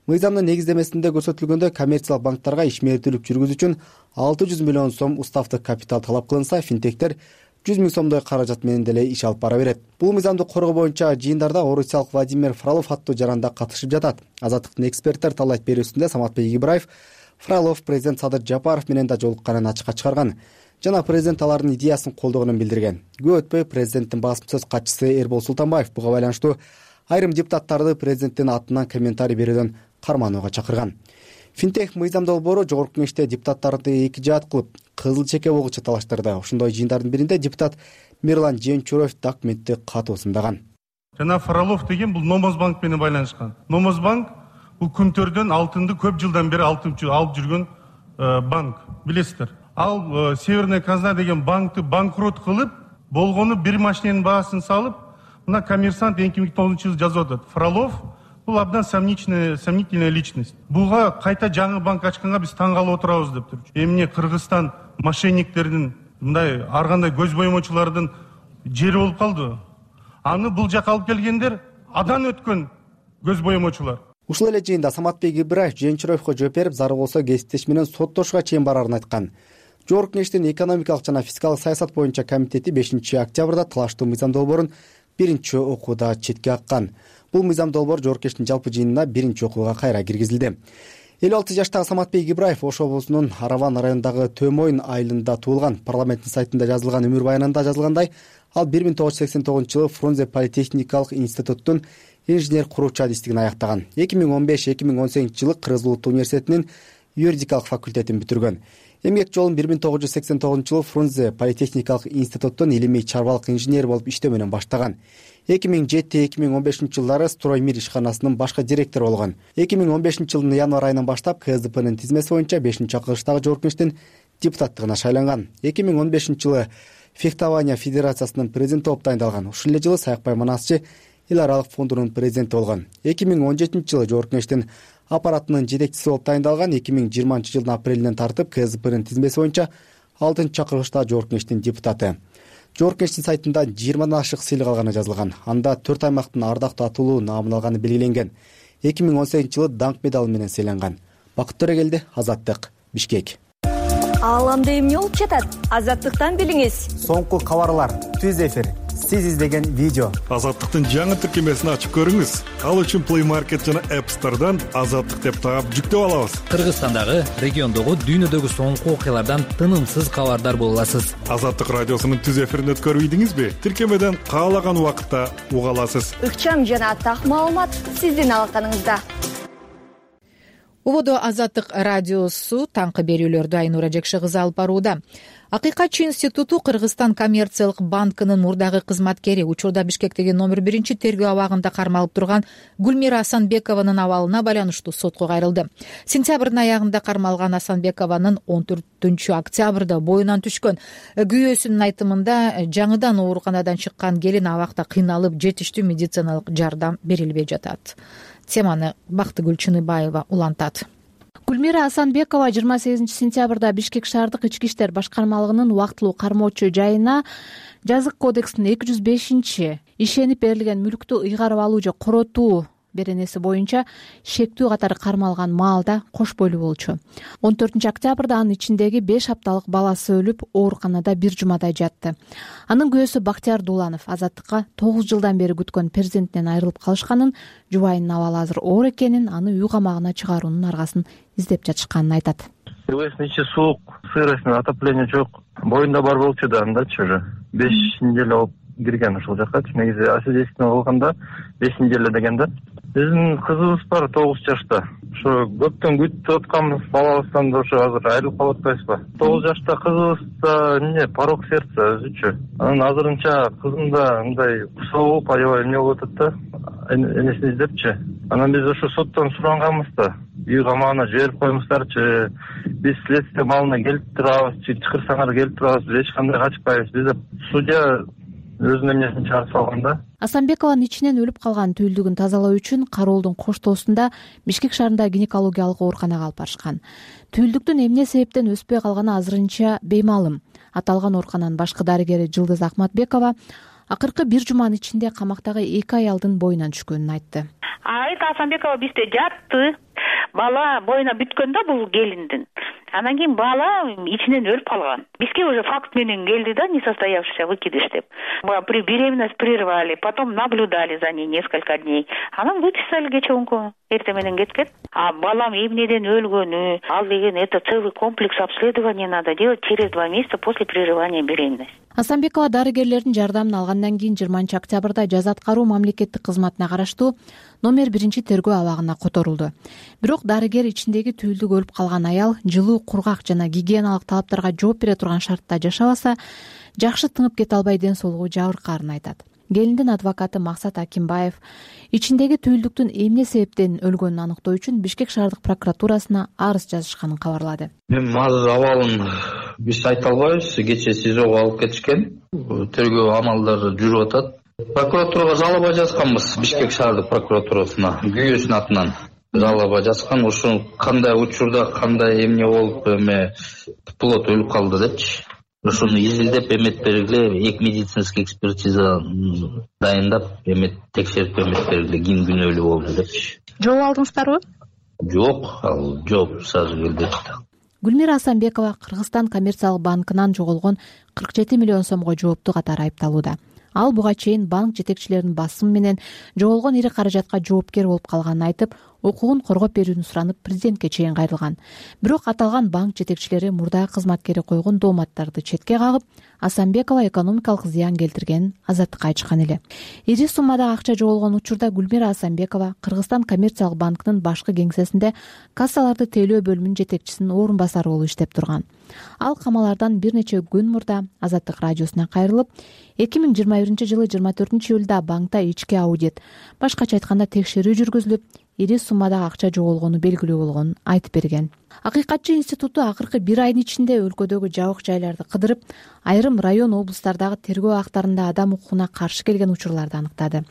Мыйзамдын негиздемесинде көрсөтүлгөндөй, коммерциялык банктарга ишмердүүлүк жүргүзүү үчүн алты жүз миллион сом уставдык капитал талап кылынса, финтехтер жүз миң сомдой каражат менен деле иш алып бара берет. Бул мыйзамды коргоо боюнча жыйындарда орусиялык Владимир Фролов аттуу жаранда катышып жатат. Азаттыктын эксперттер талайт берүүсүндө Саматбек Ибраев Фролов президент Садыр Жапаров менен да жолукканын ачыкка чыгарган жана президент алардын идеясын колдогонун билдирген. Көп өтпөй президенттин басма сөз катчысы Эрбол Султанбаев буга байланыштуу айрым депутаттарды президенттин атынан комментарий берүүдөн карманууга чакырган. Финтех мыйзам долбоору жогорку кеңеште депутаттарды эки жаат кылып, кызыл чеке болгучу талаштырды. Ошондой жыйындардын биринде депутат Мирлан Жээнчуроев документти катуу сындаган. Жана Фролов деген бул Номозбанк менен байланышкан. Номозбанк бул күнтөрдөн алтынды көп жылдан бери алып жүргөн банк, билесиздер. Ал Северная казна деген банкты банкрот кылып, болгону бир машиненин баасын салып, мына Коммерсант эки миң тогузунчу жылы жазып атат. Фролов бул абдан сомнительная сомнительная личность. Буга кайта жаңы банк ачканга биз таң калып отурабыз деп тур. Эмне Кыргызстан мошенниктердин, мындай ар кандай көз боемочулардын жери болуп калды. Аны бул жака алып келгендер адан өткөн көз боемочулар. Ушул эле жыйында Саматбек Ибраев Жээнчуроевго жооп берип, зарыл болсо кесиптеш менен соттошууга чейин барарын айткан. Жогорку кеңештин экономикалык жана фискалдык саясат боюнча комитети бешинчи октябрда талаштуу мыйзам долбоорун биринчи окууда четке каккан. Бул мыйзам долбоор жогорку кеңештин жалпы жыйынына биринчи окууга кайра киргизилди. элүү алты жаштагы Саматбек Ибраев Ош облусунун Араван районундагы Төмойн айылында туулган. Парламенттин сайтында жазылган өмүр баянында жазылгандай, ал бир миң тогуз жүз сексен тогузунчу жылы Фрунзе политехникалык институттун инженер куруучу адистигин аяктаган. эки миң он беш эки миң он сегизинчи жылы Кыргыз Улуттук университетинин юридикалык факультетин бүтүргөн. Эмгек жолун бир миң тогуз жүз сексен тогузунчу жылы Фрунзе политехникалык институттун илимий чарбалык инженери болуп иштөө менен баштаган. эки миң жети эки миң он бешинчи жылдары Строймир ишканасынын башкы директору болгон. эки миң он бешинчи жылдын январь айынан баштап КСДПнын тизмеси боюнча бешинчи акылыштагы жогорку кеңештин депутаттыгына шайланган. эки миң он бешинчи жылы Фехтования федерациясынын президенти болуп дайындалган. Ушул эле жылы Саякбай Манасчы эл аралык фондунун президенти болгон. эки миң он жетинчи жылы жогорку кеңештин аппаратынын жетекчиси болуп дайындалган. эки миң жыйырманчы жылдын апрелинен тартып КСДПнын тизмеси боюнча алтынчы чакырылыштагы жогорку кеңештин депутаты. Жогорку кеңештин сайтында жыйырмадан ашык сыйлык алганы жазылган. Анда төрт аймактын ардактуу атуулуу наамын алганы белгиленген. эки миң он сегизинчи жылы даңк медалы менен сыйланган. Бакыт Төрөгелди, Азаттык, Бишкек. Ааламда эмне болуп жатат? Азаттыктан билиңиз. Соңку кабарлар, түз эфир, сиз издеген видео. Азаттыктын жаңы тиркемесин ачып көрүңүз. Ал үчүн Play Market жана App Store'дан Азаттык деп таап жүктөп алабыз. Кыргызстандагы, региондогу, дүйнөдөгү соңку окуялардан тынымсыз кабардар боло аласыз. Азаттык радиосунун түз эфирин өткөрүп ийдиңизби? Тиркемеден каалаган убакытта уга аласыз. Ыкчам жана так маалымат сиздин алаканыңызда. Убодо Азаттык радиосу таңкы берүүлөрдү Айнура Жекши кызы алып барууда. Акыйкатчы институту Кыргызстан коммерциялык банкынын мурдагы кызматкери, учурда Бишкектеги номер биринчи тергөө абагында кармалып турган Гүлмира Асанбекованын абалына байланыштуу сотко кайрылды. Сентябрдын аягында кармалган Асанбекованын он төртүнчү октябрда боюнан түшкөн күйөөсүнүн айтымында жаңыдан ооруканадан чыккан келин абакта кыйналып, жетиштүү медициналык жардам берилбей жатат. Теманы Бактыгүл Чыныбаева улантат. Гүлмира Асанбекова жыйырма сегизинчи сентябрда Бишкек шаардык ички иштер башкармалыгынын убактылуу кармоочу жайына жазык кодекстин эки жүз бешинчи ишенип берилген мүлктү ыйгарып алуу же коротуу беренеси боюнча шектүү катары кармалган маалда кош бойлуу болчу. он төртүнчү октябрда анын ичиндеги беш апталык баласы өлүп, ооруканада бир жумадай жатты. Анын күйөөсү Бактияр Дуланов азаттыкка тогуз жылдан бери күткөн перзентинен айрылып калышканын, жубайынын абалы азыр оор экенин, аны үй камагына чыгаруунун аргасын издеп жатышканын айтат. Кылычтын ичи суук, сырость, отопление жок. Боюнда бар болчу да андачы уже бешинчи эле болуп кирген ушул жакка. Негизи освидетельствование кылганда бешинчи эле деген да. Биздин кызыбыз бар тогуз жашта. Ошо көптөн күтүп атканбыз балабыздан да ошо азыр айрылып калып атпайбызбы? тогуз жашта кызыбыз да эмне порок сердца өзүчү. Анан азырынча кызым да мындай кусалып, аябай эмне болуп атат да, энесин издепчи. Анан биз ошо соттон суранганбыз да, үй камагына жиберип коюңуздарчы, биз следствие малына келип турабыз, чакырсаңар келип турабыз, биз эч кандай качпайбыз. Биз деп судья өзүнүн эмнесин чыгарып салган да. Асанбекованын ичинен өлүп калган түйүлдүгүн тазалоо үчүн Кароолдун коштоосунда Бишкек шаарындагы гинекологиялык ооруканага алып барышкан. Түйүлдүктүн эмне себептен өспөй калганы азырынча беймаалым. Аталган оорукананын башкы дарыгери Жылдыз Акматбекова акыркы бир жуманын ичинде камактагы эки аялдын боюнан түшкөнүн айтты. Айта Асанбекова бизде жатты. Бала боюна бүткөн да бул келиндин. Анан кийин бала ичинен өлүп калган. Бизге уже факт менен келди да, несостоявшийся выкидыш деп. При беременность прервали, потом наблюдали за ней несколько дней. Анан выписали кечеунку. Эрте менен кеткен. А балам эмнеден өлгөнү, ал деген это целый комплекс обследования надо делать через два месяца после прерывания беременности. Асанбекова дарыгерлердин жардамын алгандан кийин жыйырманчы октябрда жаза аткаруу мамлекеттик кызматына караштуу номер биринчи тергөө абагына которулду. Бирок дарыгер ичиндеги түйүлдүк өлүп калган аял жылуу, кургак жана гигиеналык талаптарга жооп бере турган шартта жашабаса, жакшы тыңып кете албай ден соолугу жабыркаарын айтат. Келиндин адвокаты Максат Акимбаев ичиндеги түйүлдүктүн эмне себептен өлгөнүн аныктоо үчүн Бишкек шаардык прокуратурасына арыз жазышканын кабарлады. Эми азыр абалын биз айта албайбыз. Кечээ СИЗОго алып кетишкен. Тергөө амалдары жүрүп атат. Прокуратурага жалоба жазганбыз, Бишкек шаардык прокуратурасына, күйөөсүнүн атынан жалоба жазган. Ошо кандай учурда, кандай эмне болуп, эме плод өлүп калды депчи. Ошону изилдеп эмет бергиле, эки медицинский экспертиза дайындап, эмет текшерип эмет бергиле, ким күнөөлүү болду депчи. Жооп алдыңыздарбы? Жок, ал жооп сразу келди. Гүлмира Асанбекова Кыргызстан коммерциялык банкынан жоголгон кырк жети миллион сомго жооптуу катары айыпталууда. Ал буга чейин банк жетекчилеринин басым менен жоголгон ири каражатка жоопкер болуп калганын айтып, укугун коргоп берүүнү суранып президентке чейин кайрылган. Бирок аталган банк жетекчилери мурдагы кызматкери койгон дооматтарды четке кагып, Асанбекова экономикалык зыян келтиргенин азаттыкка айтышкан эле. Ири суммада акча жоголгон учурда Гүлмира Асанбекова Кыргызстан коммерциялык банкынын башкы кеңсесинде кассаларды тейлөө бөлүмүнүн жетекчисинин орун басары болуп иштеп турган. Ал камалардан бир нече күн мурда Азаттык радиосуна кайрылып, эки миң жыйырма биринчи жылы жыйырма төртүнчү июлда банкта ички аудит, башкача айтканда текшерүү жүргүзүлүп, ири суммадагы акча жоголгону белгилүү болгонун айтып берген. Акыйкатчы институту акыркы бир айдын ичинде өлкөдөгү жабык жайларды кыдырып, айрым район облустардагы тергөө актарында адам укугуна каршы келген учурларды аныктады.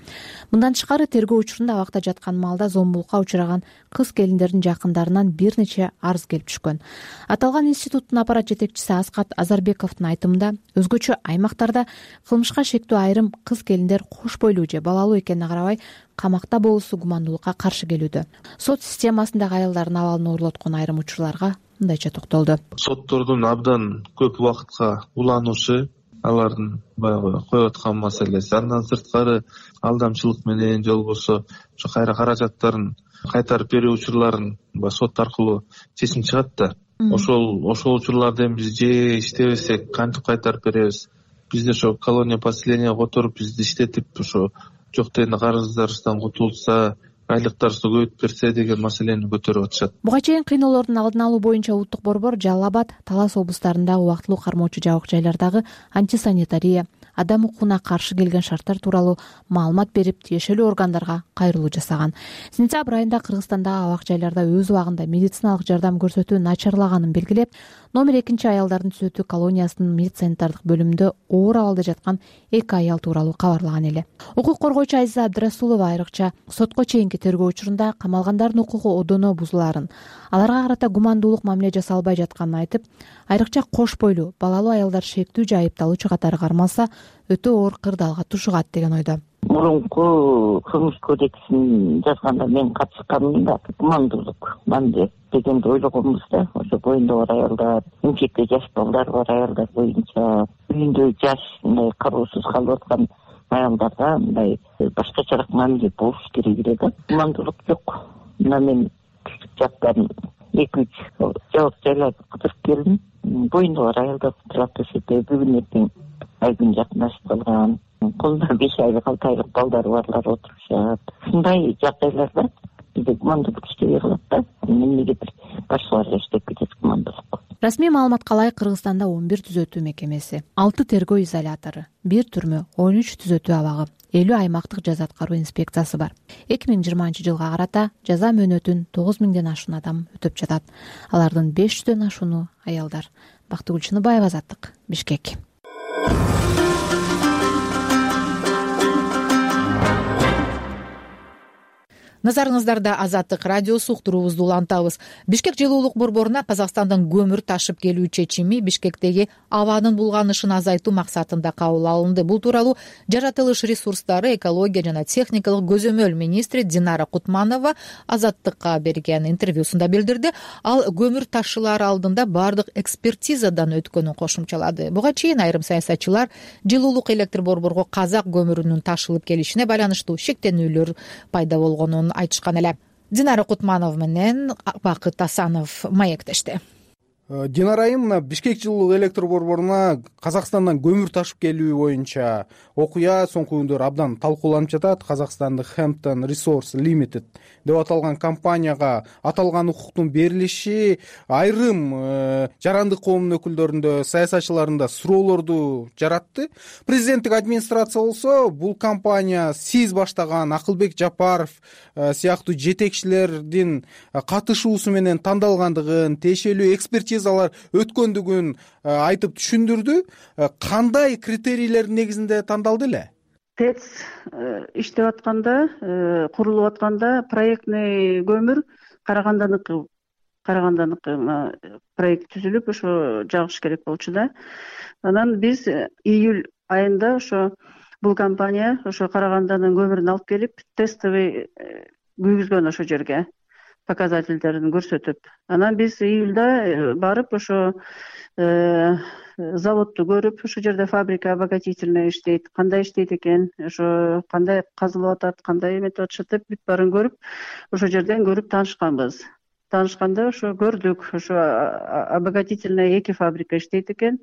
Мындан тышкары тергөө учурунда абакта жаткан маалда зомбулукка учураган кыз келиндердин жакындарынан бир нече арыз келип түшкөн. Аталган институттун аппарат жетекчиси Аскат Азарбековдун айтымында, өзгөчө аймактарда кылмышка шектүү айрым кыз келиндер кош бойлуу же балалуу экенине карабай камакта болуусу гумандуулукка каршы келүүдө. Сот системасындагы аялдардын абалын оорлоткон айрым учурларга мындайча токтолду. Соттордун абдан көп убакытка уланушу, алардын баягы коюп аткан маселеси. Андан сырткары алдамчылык менен же болбосо ошо кайра каражаттарын кайтарып берүү учурларын сот аркылуу чечим чыгат да. Ошол ошол учурларды эми биз же иштебесек кантип кайтарып беребиз? Бизде ошо колония поселения которуп бизди иштетип ошо жок дегенде карыздарыбыздан кутулса, айлыктарыбызды көбөйтүп берсе деген маселени көтөрүп атышат. Буга чейин кыйноолордун алдын алуу боюнча улуттук борбор Жалал Абад, Талас облустарындагы убактылуу кармоочу жабык жайлардагы антисанитария, адам укугуна каршы келген шарттар тууралуу маалымат берип, тиешелүү органдарга кайрылуу жасаган. Сентябрь айында Кыргызстандагы абак жайларда өз убагында медициналык жардам көрсөтүү начарлаганын белгилеп, номер экинчи аялдардын түзөтүү колониясынын медсанитардык бөлүмүндө оор абалда жаткан эки аял тууралуу кабарлаган эле. Укук коргоочу Азиза Абдрасулова айрыкча сотко чейинки тергөө учурунда камалгандардын укугу одоно бузулаарын, аларга карата гумандуулук мамиле жасалбай жатканын айтып, айрыкча кош бойлуу, балалуу аялдар шектүү же айыпталуучу катары кармалса, өтө оор кырдаалга тушугат деген ойдо. Мурунку кылмыш кодексин жазганда мен катышканмын да, гумандуулук мамиле дегенди ойлогонбуз да. Ошо боюнда бар аялдар, эмчекте жаш балдар бар аялдар боюнча, үйүндө жаш мындай кароосуз калып аткан аялдарга мындай башкачараак мамиле болуш керек эле да. Гумандуулук жок. Мына мен жактан эки үч жабык жайларды кыдырып келдим. Боюнда бар аялдар турат эсепте бүгүн эртең айдын жакынашып калган, колунда беш айлык алты айлык балдары барлар отурушат. Ушундай жагдайларда бизде гумандуулук иштебей калат да. Эмнегедир башкалар иштеп кетет гумандуулук. Расмий маалыматка ылайык Кыргызстанда он бир түзөтүү мекемеси, алты тергөө изолятору, бир түрмө, он үч түзөтүү абагы, элүү аймактык жаза аткаруу инспекциясы бар. эки миң жыйырманчы жылга карата жаза мөөнөтүн тогуз миңден ашуун адам өтөп жатат. Алардын беш жүздөн ашууну аялдар. Бактыгүл Чыныбаева, Азаттык, Бишкек. Назарыңыздарда Азаттык радиосу, уктуруубузду улантабыз. Бишкек жылуулук борборуна Казакстандын көмүр ташып келүү чечими Бишкектеги абанын булганышын азайтуу максатында кабыл алынды. Бул тууралуу жаратылыш ресурстары, экология жана техникалык көзөмөл министри Динара Кутманова Азаттыкка берген интервьюсунда билдирди. Ал көмүр ташылар алдында бардык экспертизадан өткөнүн кошумчалады. Буга чейин айрым саясатчылар жылуулук электр борборго казак көмүрүнүн ташылып келишине байланыштуу шектенүүлөр пайда болгонун айтышкан эле. Динара Кутманова менен Бакыт Асанов маектешти. Динара айым, мына Бишкек жылуулук электр борборуна Казакстандан көмүр ташып келүү боюнча окуя соңку күндөр абдан талкууланып жатат. Казакстандык Hampton Resource Limited деп аталган компанияга аталган укуктун берилиши айрым э, жарандык коомдун өкүлдөрүндө, саясатчыларында суроолорду жаратты. Президенттик администрация болсо бул компания сиз баштаган Акылбек Жапаров э, сыяктуу жетекчилердин катышуусу менен тандалгандыгын, тиешелүү экспертизалар өткөндүгүн айтып түшүндүрдү. Кандай критерийлердин негизинде тандалды эле? ТЭЦ иштеп атканда, курулуп атканда проектный көмүр Караганданыкы Караганданыкы проект түзүлүп, ошо жагыш керек болчу да. Анан биз июль айында ошо бул компания ошо Караганданын көмүрүн алып келип, тестовый күйгүзгөн ошо жерге показательдерин көрсөтүп. Анан биз июлда барып ошо заводду көрүп, ошо жерде фабрика обогатительная иштейт, кандай иштейт экен, ошо кандай казылып атат, кандай эметип атышат деп бүт баарын көрүп, ошо жерден көрүп таанышканбыз. Таанышканда ошо көрдүк, ошо обогатительная эки фабрика иштейт экен.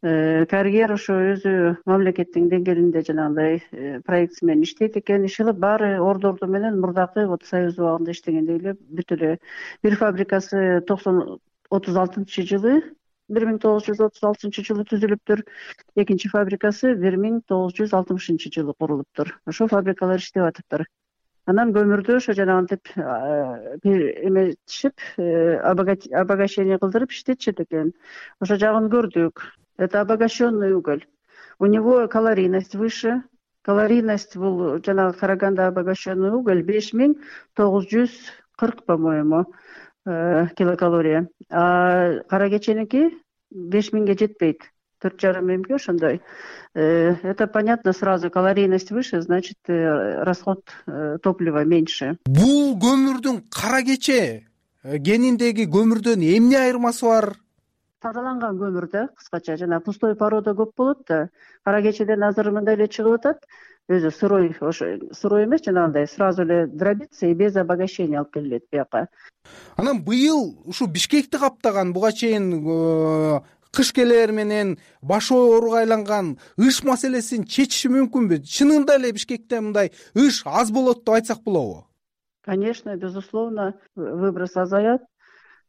Карьер ошо өзү мамлекеттин деңгээлинде жанагындай проектси менен иштейт экен. Иши баары ордорду менен мурдакы вот Союз убагында иштегендей эле бүт эле. Бир фабрикасы токсон отуз алтынчы жылы бир миң тогуз жүз отуз алтынчы жылы түзүлүптүр. Экинчи фабрикасы бир миң тогуз жүз алтымышынчы жылы курулуптур. Ошо фабрикалар иштеп атыптыр. Анан көмүрдү ошо жанагынтип эметишип, обогащение кылдырып иштетишет экен. Ошо жагын көрдүк. Это обогащенный уголь. У него калорийность выше. Калорийность бул жанагы Караганда обогащенный уголь беш миң тогуз жүз кырк, по-моему, килокалория. А Каракеченики беш миңге жетпейт. төрт жарым миңге ошондой. Это понятно сразу, калорийность выше, значит, расход топлива меньше. Бул көмүрдүн Каракече гениндеги көмүрдөн эмне айырмасы бар? Тазаланган көмүр да, кыскача, жана пустой порода көп болот да. Каракечеден азыр мындай эле чыгып атат. Өзү сырой, ошо сырой эмес, жанагындай сразу эле дробится и без обогащения алып келет бияка. Анан быйыл ушу Бишкекти каптаган буга чейин кыш келээр менен башы ооруга айланган ыш маселесин чечиши мүмкүнбү? Чынында эле Бишкекте мындай ыш аз болот деп айтсак болобу? Конечно, безусловно, выброс азаят,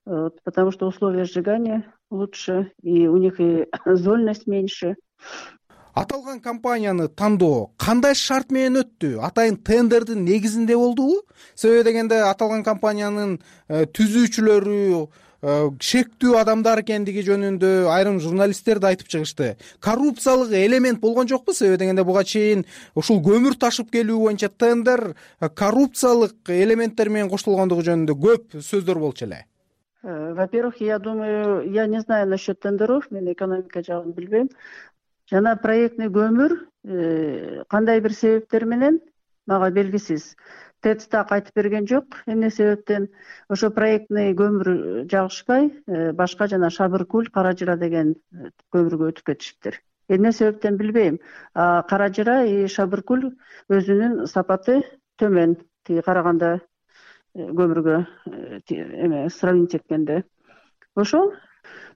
потому что условия сжигания лучше, и у них и зольность меньше. аталган компанияны тандоо кандай шарт менен өттү? Атайын тендердин негизинде болдубу? Себеби дегенде аталган компаниянын түзүүчүлөрү шектүү адамдар экендиги жөнүндө айрым журналисттер да айтып чыгышты. Коррупциялык элемент болгон жокпу? Себеби дегенде буга чейин ушул көмүр ташып келүү боюнча тендер коррупциялык элементтер менен коштолгондугу жөнүндө көп сөздөр болчу эле. Во-первых, я думаю, я не знаю насчет тендеров, мен экономика жагын билбейм. Жана проектный көмүр кандай бир себептер менен мага белгисиз. ТЭЦ так айтып берген жок. Эмне себептен ошо проектный көмүр жагышпай, башка жана Шабыркул, Каражыра деген көмүргө өтүп кетишиптир. Эмне себептен билбейм. Каражыра и Шабыркул өзүнүн сапаты төмөн, тиги караганда көмүргө эме сравнить эткенде. Ошол.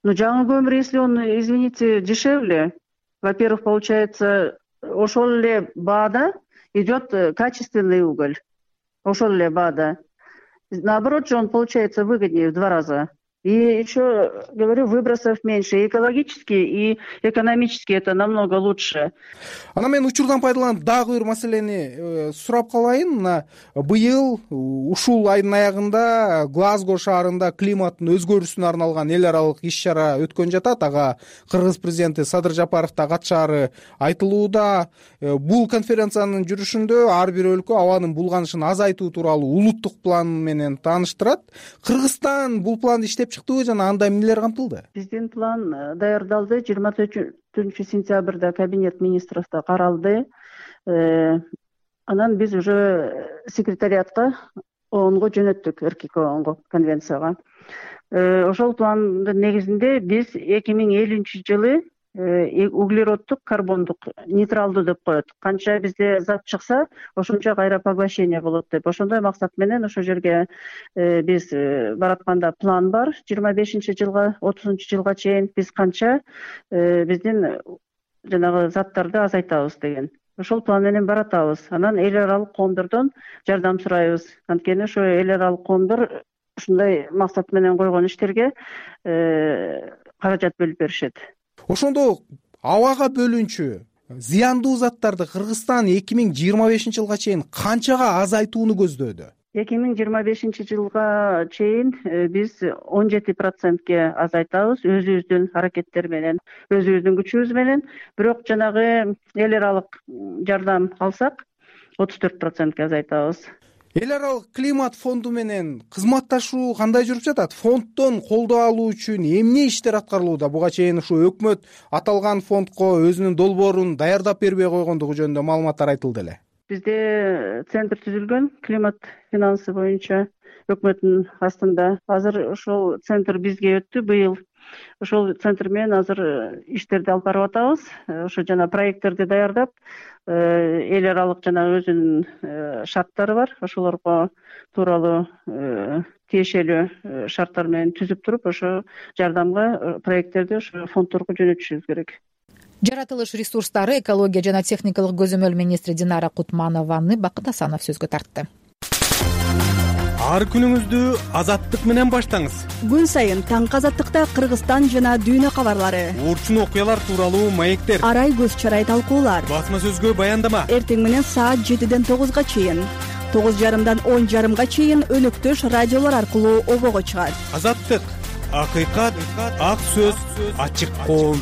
Но жаңы көмүр, если он, извините, дешевле, во-первых, получается, ошол эле баада идет качественный уголь. Ошол эле баада. Наоборот же он получается выгоднее в два раза. И еще, говорю, выбросов меньше. И экологически, и экономически это намного лучше. Ана мен учурдан пайдаланып дагы бир маселени сурап калайын. Мына быйыл ушул айдын аягында Глазго шаарында климаттын өзгөрүүсүнө арналган эл аралык иш-чара өткөн жатат. Ага Кыргыз президенти Садыр Жапаров да катышаары айтылууда. Бул конференциянын жүрүшүндө ар бир өлкө абанын булганышын азайтуу тууралуу улуттук план менен тааныштырат. Кыргызстан бул планды иштеп чыктыбы жана анда эмнелер камтылды? Биздин план даярдалды. жыйырма төртүнчү сентябрда кабинет министровдо каралды. Анан биз уже секретариатка оонго жөнөттүк, РКК оонго, конвенцияга. Ошол пландын негизинде биз эки миң элүүнчү жылы углероддук, карбондук нейтралдуу деп коет. Канча бизде зат чыкса, ошончо кайра поглощение болот деп. Ошондой максат менен ошол жерге биз баратканда план бар. жыйырма бешинчи жылга, отузунчу жылга чейин биз канча биздин жанагы заттарды азайтабыз деген. Ошол план менен баратабыз. Анан эл аралык коомдордон жардам сурайбыз. Анткени ошо эл аралык коомдор ушундай максат менен койгон иштерге каражат бөлүп беришет. Ошондо абага бөлүнчү зыяндуу заттарды Кыргызстан эки миң жыйырма бешинчи жылга чейин канчага азайтууну көздөөдү? эки миң жыйырма бешинчи жылга чейин биз он жети процентке азайтабыз өзүбүздүн аракеттер менен, өзүбүздүн күчүбүз менен. Бирок жанагы эл аралык жардам алсак отуз төрт процентке азайтабыз. Эл аралык климат фонду менен кызматташуу кандай жүрүп жатат? Фонддон колдоо алуу үчүн эмне иштер аткарылууда? Буга чейин ушу өкмөт аталган фондко өзүнүн долбоорун даярдап бербей койгондугу жөнүндө маалыматтар айтылды эле. Бизде центр түзүлгөн, климат финансы боюнча өкмөттүн астында. Азыр ошол центр бизге өттү быйыл. Ошол центр менен азыр иштерди алып барып атабыз. Ошо жана проекттерди даярдап, эл аралык жана өзүнүн шарттары бар. Ошолорго тууралуу тиешелүү шарттар менен түзүп туруп, ошо жардамга проекттерди ошо фонддорго жөнөтүшүбүз керек. Жаратылыш ресурстары, экология жана техникалык көзөмөл министри Динара Кутманованы Бакыт Асанов сөзгө тартты. Ар күнүңүздү Азаттык менен баштаңыз. Күн сайын таңкы Азаттыкта Кыргызстан жана дүйнө кабарлары, урчун окуялар тууралуу маектер, арай көз чарай талкуулар, басма сөзгө баяндама. Эртең менен саат жетиден тогузга чейин, тогуз жарымдан он жарымга чейин өнөктөш радиолор аркылуу обого чыгат. Азаттык, акыйкат, ак сөз, ачык коом.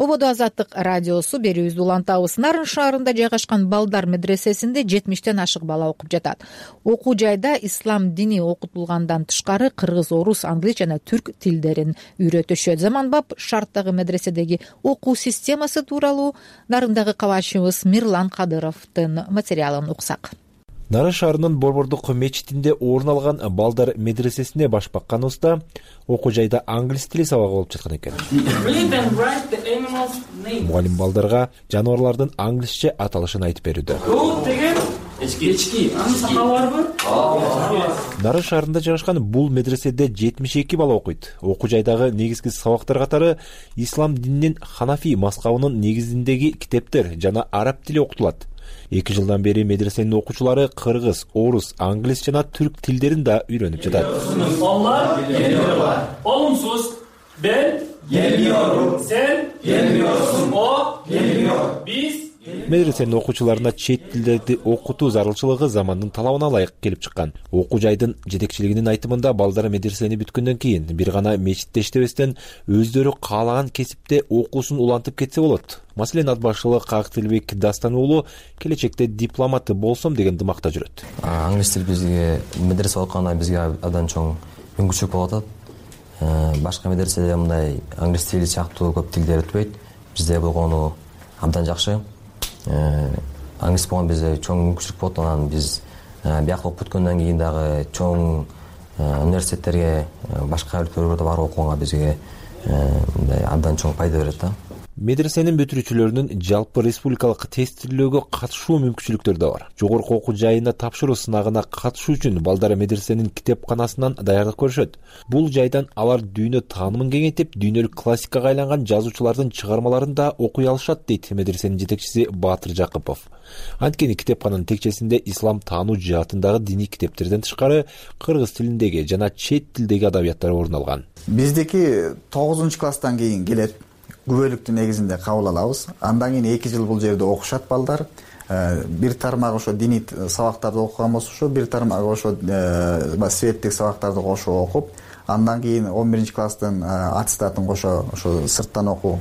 Ободо Азаттык радиосу берүүбүздү улантабыз. Нарын шаарында жайгашкан балдар медресесинде жетимиштен ашык бала окуп жатат. Окуу жайда ислам дини окутулгандан тышкары кыргыз, орус, англис жана түрк тилдерин үйрөтүшөт. Заманбап шарттагы медреседеги окуу системасы тууралуу Нарындагы кабарчыбыз Мирлан Кадыровдун материалын уксак. Нарын шаарынын Борбордук мечитинде орун алган балдар медресесине баш бакканыбызда окуу жайда англис тили сабагы болуп жаткан экен. Мугалим балдарга жаныбарлардын англисче аталышын айтып берүүдө. Нарын шаарында жайгашкан бул медреседе жетимиш эки бала окуйт. Окуу жайдагы негизги сабактар катары ислам дининин Ханафи мазхабынын негизиндеги китептер жана араб тили окутулат. Эки жылдан бери медресенин окуучулары кыргыз, орус, англис жана түрк тилдерин да үйрөнүп жатат. Олар олумсуз Ben gelmiyorum. Sen gelmiyorsun. O gelmiyor. Biz медресенин окуучуларына чет тилдерди окутуу зарылчылыгы замандын талабына ылайык келип чыккан. Окуу жайдын жетекчилигинин айтымында балдар медресени бүткөндөн кийин бир гана мечитте иштебестен өздөрү каалаган кесипте окуусун улантып кетсе болот. Маселен, ат башчылыгы Кактилбек Дастан уулу келечекте дипломаты болсом деген дымакта жүрөт. Англис тил бизге медресе окуганда бизге абдан чоң мүмкүнчүлүк болуп атат. Башка медреседе мындай англис тили сыяктуу көп тилдер өтпөйт. Бизде болгону абдан жакшы. Англис болгон бизде чоң мүмкүнчүлүк болот. Анан биз биякта окуп бүткөндөн кийин дагы чоң университеттерге, башка өлкөлөргө барып окуганга бизге мындай абдан чоң пайда берет да. Медресенин бүтүрүүчүлөрүнүн жалпы республикалык тестилөөгө катышуу мүмкүнчүлүктөрү да бар. Жогорку окуу жайына тапшыруу сынагына катышуу үчүн балдар медресенин китепканасынан даярдык көрүшөт. Бул жайдан алар дүйнө таанымын кеңейтип, дүйнөлүк классикага айланган жазуучулардын чыгармаларын да окуй алышат, дейт медресенин жетекчиси Баатыр Жакыпов. Анткени китепкананын текчесинде ислам таануу жаатындагы диний китептерден тышкары кыргыз тилиндеги жана чет тилдеги адабияттар орун алган. Биздики тогузунчу класстан кийин келет. Күбөлүктүн негизинде кабыл алабыз. Андан кийин эки жыл бул жерде окушат балдар. Бир тармак ошо диний сабактарды окуган болсо, ошо бир тармак ошо светтик сабактарды кошуп окуп, андан кийин он биринчи класстын аттестатын кошо ошо сырттан окуу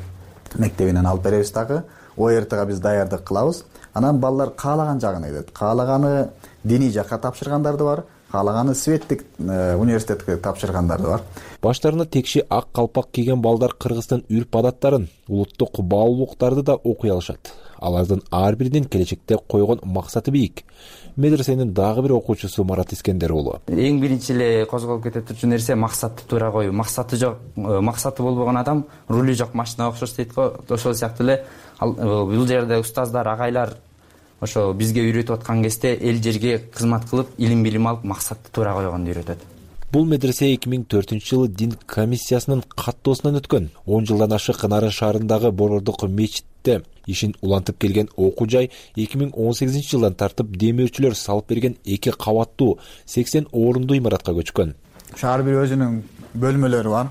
мектебинен алып беребиз дагы. О Р Тга биз даярдык кылабыз. Анан балдар каалаган жагына кетет. Каалаганы диний жакка тапшыргандар да бар, каалаганы светтик университетке тапшыргандар да бар. Баштарына текши ак калпак кийген балдар Кыргыздын үрп адаттарын, улуттук баалуулуктарды да окуй алышат. Алардын ар биринин келечекте койгон максаты бийик. Медресенин дагы бир окуучусу Марат Искендер уулу. Эң биринчи эле козголуп кетет турчу нерсе максатты туура коюу. Максаты жок, максаты болбогон адам рулю жок машина окшош дейт го. Ошол сыяктуу эле бул жерде устаздар, агайлар ошо бизге үйрөтүп аткан кезде эл жерге кызмат кылып, илим билим алып, максатты туура койгонду үйрөтөт. Бул медресе эки миң төртүнчү жылы дин комиссиясынын каттоосунан өткөн. он жылдан ашык Нарын шаарындагы Борбордук мечитте ишин улантып келген окуу жай эки миң он сегизинчи жылдан тартып демөөрчүлөр салып берген эки кабаттуу сексен орунду имаратка көчкөн. Шаар бир өзүнүн бөлмөлөрү бар.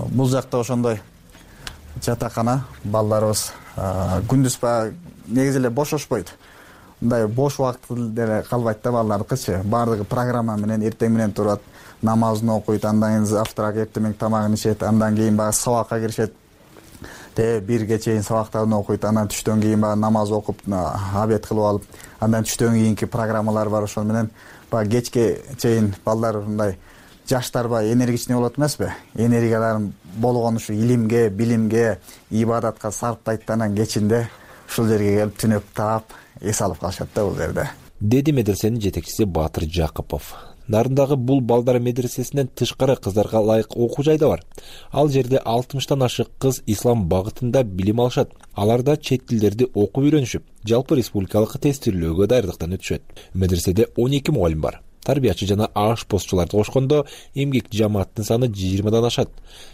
Бул жакта ошондой жатакана, балдарыбыз күндүз баягы негизи эле бошошпойт. Мындай бош убакыт деле калбайт да балдардыкычы. Бардыгы программа менен эртең менен турат, намазын окуйт, андан кийин завтрак, эртең тамагын ичет, андан кийин баягы сабакка киришет. Те бирге чейин сабактарын окуйт, андан түштөн кийин баягы намаз окуп, обед кылып алып, андан түштөн кийинки программалар бар, ошол менен баягы кечке чейин балдар мындай жаштар баягы энергичный болот эмеспи? Энергияларын болгон ушу илимге, билимге, ибадатка сарптайт, анан кечинде ушул жерге келип түнөп таап эс алып калышат да бул жерде, деди медресенин жетекчиси Баатыр Жакыпов. Нарындагы бул балдар медресесинен тышкары кыздарга ылайык окуу жай да бар. Ал жерде алтымыштан ашык кыз ислам багытында билим алышат. Алар да чет тилдерди окуп үйрөнүшүп, жалпы республикалык тестилөөгө даярдыктан өтүшөт. Медреседе он эки мугалим бар. Тарбиячы жана ашпозчуларды кошкондо эмгек жамааттын саны жыйырмадан ашат.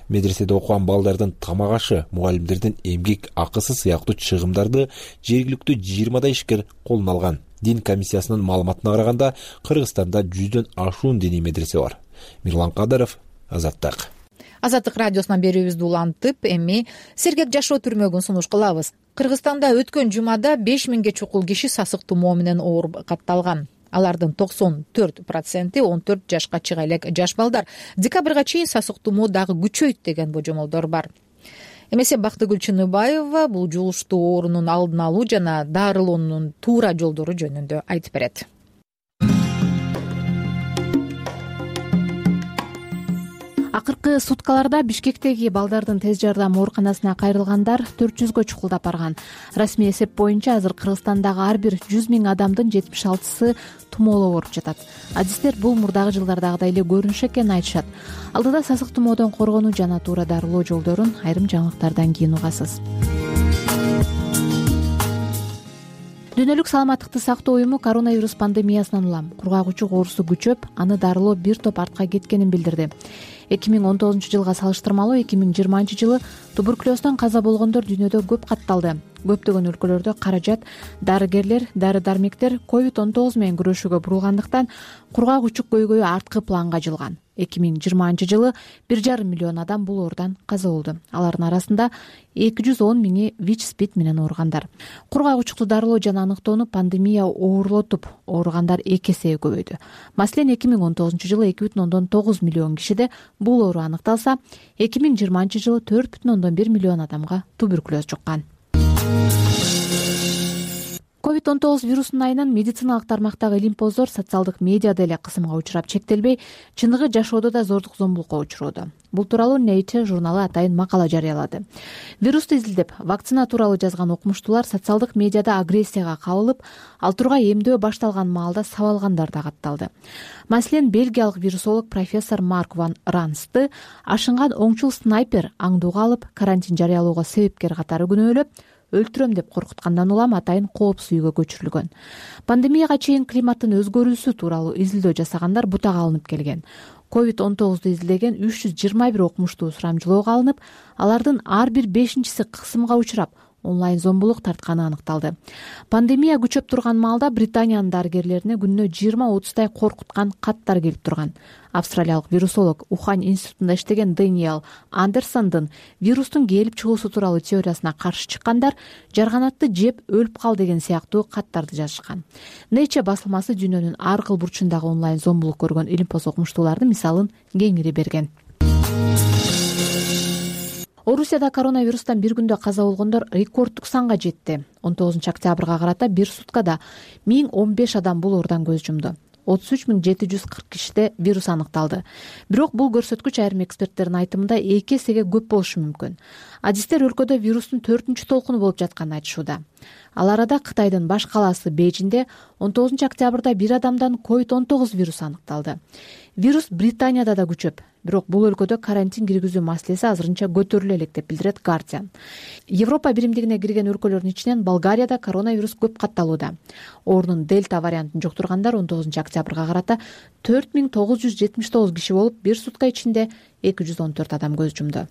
Медреседе окуган балдардын тамак ашы, мугалимдердин эмгек акысы сыяктуу чыгымдарды жергиликтүү жыйырмадай ишкер колуна алган. Дин комиссиясынын маалыматына караганда, Кыргызстанда жүздөн ашуун диний медресе бар. Мирлан Кадыров, Азаттык. Азаттык радиосунан берүүбүздү улантып, эми сергек жашоо түрмөгүн сунуш кылабыз. Кыргызстанда өткөн жумада беш миңге чукул киши сасык тумоо менен ооруп катталган. Алардын токсон төрт проценти он төрт жашка чыга элек жаш балдар. Декабрга чейин сасык тумоо дагы күчөйт деген божомолдор бар. Эмесе Бактыгүл Чыныбаева бул жугуштуу оорунун алдын алуу жана дарылоонун туура жолдору жөнүндө айтып берет. Акыркы суткаларда Бишкектеги балдардын тез жардам ооруканасына кайрылгандар төрт жүзгө чукулдап барган. Расмий эсеп боюнча азыр Кыргызстандагы ар бир жүз миң адамдын жетимиш алтысы тумооло ооруп жатат. Адистер бул мурдагы жылдардагыдай эле көрүнүш экенин айтышат. Алдыда сасык тумоодон коргонуу жана туура дарылоо жолдорун айрым жаңылыктардан кийин угасыз. Дүйнөлүк саламаттыкты сактоо уюму коронавирус пандемиясынан улам кургагучу оорусу күчөп, аны дарылоо бир топ артка кеткенин билдирди. эки миң он тогузунчу жылга салыштырмалуу эки миң жыйырманчы жылы туберкулездон каза болгондор дүйнөдө көп катталды. көптөгөн өлкөлөрдө каражат дарыгерлер, дары дармектер ковид он тогуз менен күрөшүүгө бурулгандыктан кургак учук көйгөйү арткы планга жылган. эки миң жыйырманчы жылы бир жарым миллион адам бул ооруудан каза болду. Алардын арасында эки жүз он миңи ВИЧ-СПИД менен ооругандар. Кургак учукту дарылоо жана аныктоону пандемия оорлотуп, ооругандар эки эсеге көбөйдү. Маселен, эки миң он тогузунчу жылы эки бүтүн ондон тогуз миллион кишиде бул оору аныкталса, эки миң жыйырманчы жылы төрт бүтүн ондон бир миллион адамга туберкулез жуккан. ковид он тогуз вирусунун айынан медициналык тармактагы илим-поздор социалдык медиада эле кысымга учурап чектелбей, чындыгы жашоодо да зордук зомбулукка учуроодо. Бул тууралуу Nature журналы атайын макала жарыялады. Вирусту изилдеп, вакцина тууралуу жазган окумуштуулар социалдык медиада агрессияга кабылып, ал тургай эмдөө башталган маалда сабалгандар да катталды. Маселен, бельгиялык вирусолог профессор Марк ван Рансты ашынган оңчул снайпер аңдууга алып, карантин жарыялоого себепкер катары күнөөлөп, өлтүрөм деп коркуткандан улам атайын коопсуз үйгө көчүрүлгөн. Пандемияга чейин климаттын өзгөрүүсү тууралуу изилдөө жасагандар бутага алынып келген. ковид он тогузду изилдеген үч жүз жыйырма бир окумуштуу сурамжылоого алынып, алардын ар бир бешинчиси кысымга учурап, онлайн зомбулук тартканы аныкталды. Пандемия күчөп турган маалда Британиянын дарыгерлерине күнүнө жыйырма отуздай коркуткан каттар келип турган. Австралиялык вирусолог Ухань институтунда иштеген Дэниел Андерсондун вирустун келип чыгуусу тууралуу теориясына каршы чыккандар жарганатты жеп өлүп кал деген сыяктуу каттарды жазышкан. Nature басылмасы дүйнөнүн ар кыл бурчундагы онлайн зомбулук көргөн илимпоз окумуштуулардын мисалын кеңири берген. Орусияда коронавирустан бир күндө каза болгондор рекорддук санга жетти. он тогузунчу октябрга карата бир суткада миң он беш адам бул оорудан көз жумду. отуз үч миң жети жүз кырк кишиде вирус аныкталды. Бирок бул көрсөткүч айрым эксперттердин айтымында эки эсеге көп болушу мүмкүн. Адистер өлкөдө вирустун төртүнчү толкуну болуп жатканын айтышууда. Ал арада Кытайдын баш калаасы Бейжиңде он тогузунчу октябрда бир адамдан ковид он тогуз вирусу аныкталды. Вирус Британияда да күчөп, бирок бул өлкөдө карантин киргизүү маселеси азырынча көтөрүлө элек деп билдирет Guardian. Европа биримдигине кирген өлкөлөрдүн ичинен Болгарияда коронавирус көп катталууда. Оорунун дельта вариантын жуктургандар он тогузунчу октябрга карата төрт миң тогуз жүз жетимиш тогуз киши болуп, бир сутка ичинде эки жүз он төрт адам көз жумду.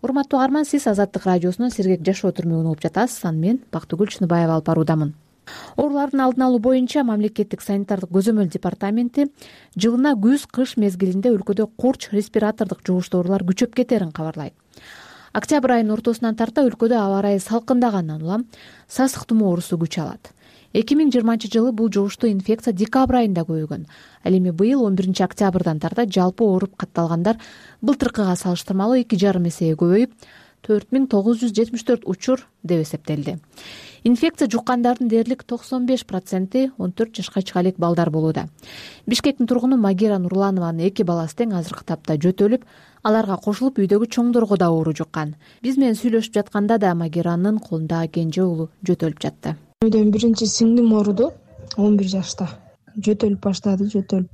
Урматтуу угарман, сиз Азаттык радиосунун Сергек жашоо түрмөгүн угуп жатасыз. Аны мен Бактыгүл Чыныбаева алып баруудамын. Оорулардын алдын алуу боюнча мамлекеттик санитардык көзөмөл департаменти жылына күз-кыш мезгилинде өлкөдө курч респиратордук жугуштуу оорулар күчөп кетерин кабарлайт. Октябрь айынын ортосунан тарта өлкөдө аба ырайы салкындагандан улам сасык тумоо оорусу күч алат. эки миң жыйырманчы жылы бул жугуштуу инфекция декабрь айында көбөйгөн. Ал эми быйыл он биринчи октябрдан тарта жалпы ооруп катталгандар былтыркыга салыштырмалуу эки жарым эсеге көбөйүп, төрт миң тогуз жүз жетимиш төрт учур деп эсептелди. Инфекция жуккандардын дээрлик токсон беш проценти он төрт жашка чыга элек балдар болууда. Бишкектин тургуну Магира Нурланованын эки баласы тең азыркы тапта жөтөлүп, аларга кошулуп үйдөгү чоңдорго да оору жуккан. Биз менен сүйлөшүп жатканда да Магиранын колундагы кенже уулу жөтөлүп жатты. Үйдөн биринчи сиңдим ооруду он бир жашта. Жөтөлүп баштады, жөтөлүп.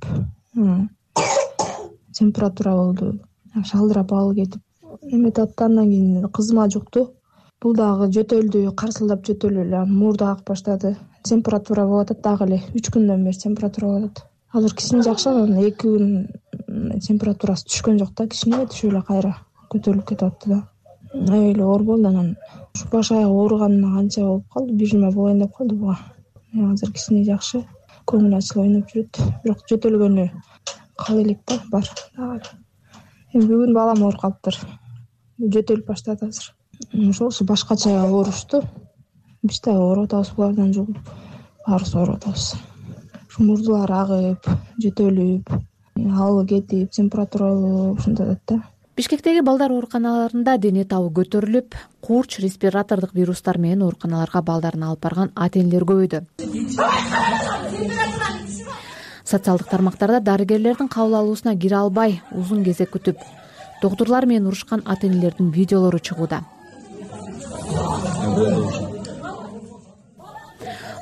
Температура болду. Шалдырап алып кетип, эметип атты. Андан кийин кызыма жукту. Бул дагы жөтөлдү, карсылдап жөтөлүп эле муурду агып баштады. Температура болуп атат дагы эле. үч күндөн бери температура болуп атат. Азыр кичине жакшы, эки күн температурасы түшкөн жок да, кичине түшүп эле кайра көтөрүлүп кетип атты да. Аябай эле оор болду. Анан ушу баш аяк ооруганына канча болуп калды, бир жума болоюн деп калды буга. Азыр кичине жакшы, көңүл ачылып ойноп жүрөт. Бирок жөтөлгөнү кала элек да, бар дагы. Эми бүгүн балам ооруп калыптыр. Жөтөлүп баштады азыр. Ошол башкача оорушты. Биз да ооруп атабыз булардан жугуп. Баарыбыз ооруп атабыз. Ушу мурдулар агып, жөтөлүп, алып кетип, температура ушундай атат да. Бишкектеги балдар ооруканаларында дене табы көтөрүлүп, курч респиратордук вирустар менен ооруканаларга балдарын алып барган ата-энелер көбөйдү. Социалдык тармактарда дарыгерлердин кабыл алуусуна кире албай, узун кезек күтүп, доктурлар менен урушкан ата-энелердин видеолору чыгууда.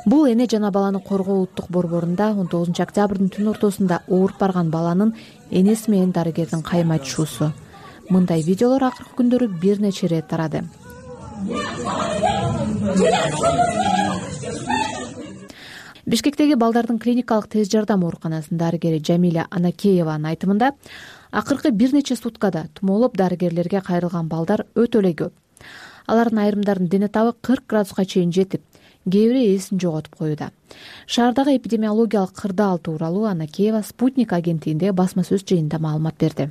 Бул эне жана баланы коргоо улуттук борборунда он тогузунчу октябрдын түн ортосунда ооруп барган баланын энеси менен дарыгердин кайым айтышуусу. Мындай видеолор акыркы күндөрү бир нече ирет тарады. Бишкектеги балдардын клиникалык тез жардам ооруканасынын дарыгери Жамиля Анакееванын айтымында, акыркы бир нече суткада тумоолоп дарыгерлерге кайрылган балдар өтө эле көп. алардын айрымдарынын дене табы кырк градуска чейин жетип, кээ бири эсин жоготуп коюуда. Шаардагы эпидемиологиялык кырдаал тууралуу Анакеева Спутник агенттигиндеги басма сөз жыйынында маалымат берди.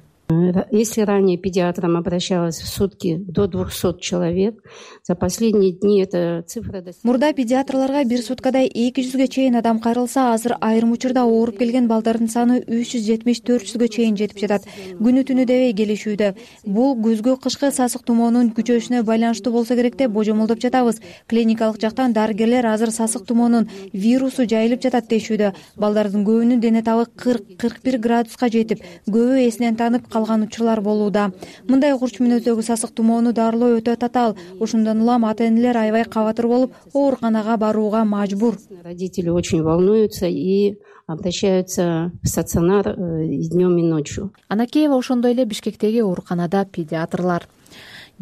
Если ранее педиатрам обращалось в сутки до двухсот человек, за последние дни эта цифра достигла. Мурда педиатрларга бир суткада эки жүзгө чейин адам кайрылса, азыр айрым учурда ооруп келген балдардын саны үч жүз жетимиш төрт жүзгө чейин жетип жатат. Күнү түнү дебей келишүүдө. Бул күзгү кышкы сасык тумоонун күчөшүнө байланыштуу болсо керек деп божомолдоп жатабыз. Клиникалык жактан дарыгерлер азыр сасык тумоонун вирусу жайылып жатат дешүүдө. Балдардын көбүнүн дене табы кырк кырк бир градуска жетип, көбү эсинен танып калган учурлар болууда. Мындай курч мүнөздөгү сасык тумоону дарылоо өтө татаал. Ошондон улам ата-энелер аябай кабатыр болуп, ооруканага барууга мажбур. Родители очень волнуются и обращаются в стационар днем и ночью. Анакеева ошондой эле Бишкектеги ооруканада педиатрлар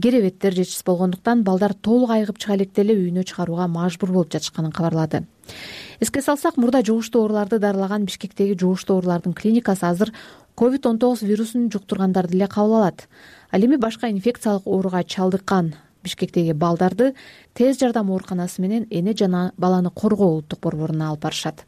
керебеттер жетишсиз болгондуктан балдар толук айыгып чыга электе эле үйүнө чыгарууга мажбур болуп жатышканын кабарлады. Эске салсак, мурда жугуштуу ооруларды дарылаган Бишкектеги жугуштуу оорулардын клиникасы азыр ковид он тогуз вирусун жуктургандарды эле кабыл алат. Ал эми башка инфекциялык ооруга чалдыккан Бишкектеги балдарды тез жардам ооруканасы менен эне жана баланы коргоо улуттук борборуна алып барышат.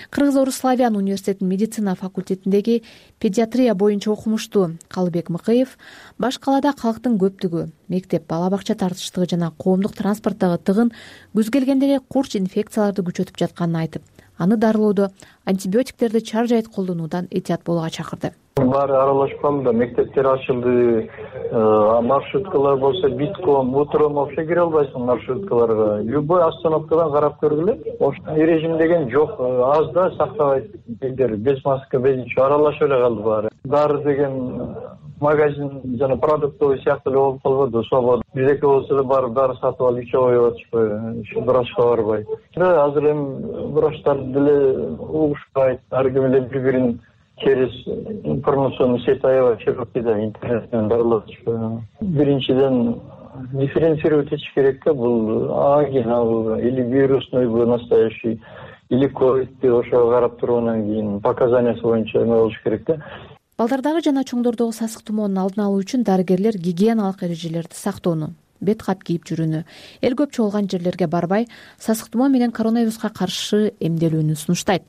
Кыргыз-Орус славян университетинин медицина факультетиндеги педиатрия боюнча окумуштуу Калыбек Мыкыев баш калаада калктын көптүгү, мектеп, бала бакча тартыштыгы жана коомдук транспорттогу тыгын күз келгенде эле курч инфекцияларды күчөтүп жатканын айтып, аны дарылоодо антибиотиктерди чаржайыт колдонуудан этият болууга чакырды. Баары аралашып калды, мектептер ачылды, маршруткалар болсо битком, утром вообще кире албайсың маршруткаларга. Любой остановкадан карап көргүлө. Ошол режим деген жок, аз да сактабайт элдер, без маска, без ничего аралашып эле калды баары. Дары деген магазин жана продуктовый сыяктуу эле болуп калбады, свобода. Биздеки болсо эле барып дары сатып алып ичип коюп атышпайбы, врачка барбай. Азыр эми врачтар деле угушпайт, ар ким эле бири-бирин через информационный сеть аябай широкийда интернеттен дарылап атышпайбы. Биринчиден дифференцировать этиш керек да, бул ангина или вирусныйбы настоящий, или ковидти ошого карап тургандан кийин показаниясы боюнча эме болуш керек да. Балдардагы жана чоңдордогу сасык тумоонун алдын алуу үчүн дарыгерлер гигиеналык эрежелерди сактоону, бет кат кийип жүрүүнү, эл көп чогулган жерлерге барбай, сасык тумоо менен коронавируска каршы эмделүүнү сунуштайт.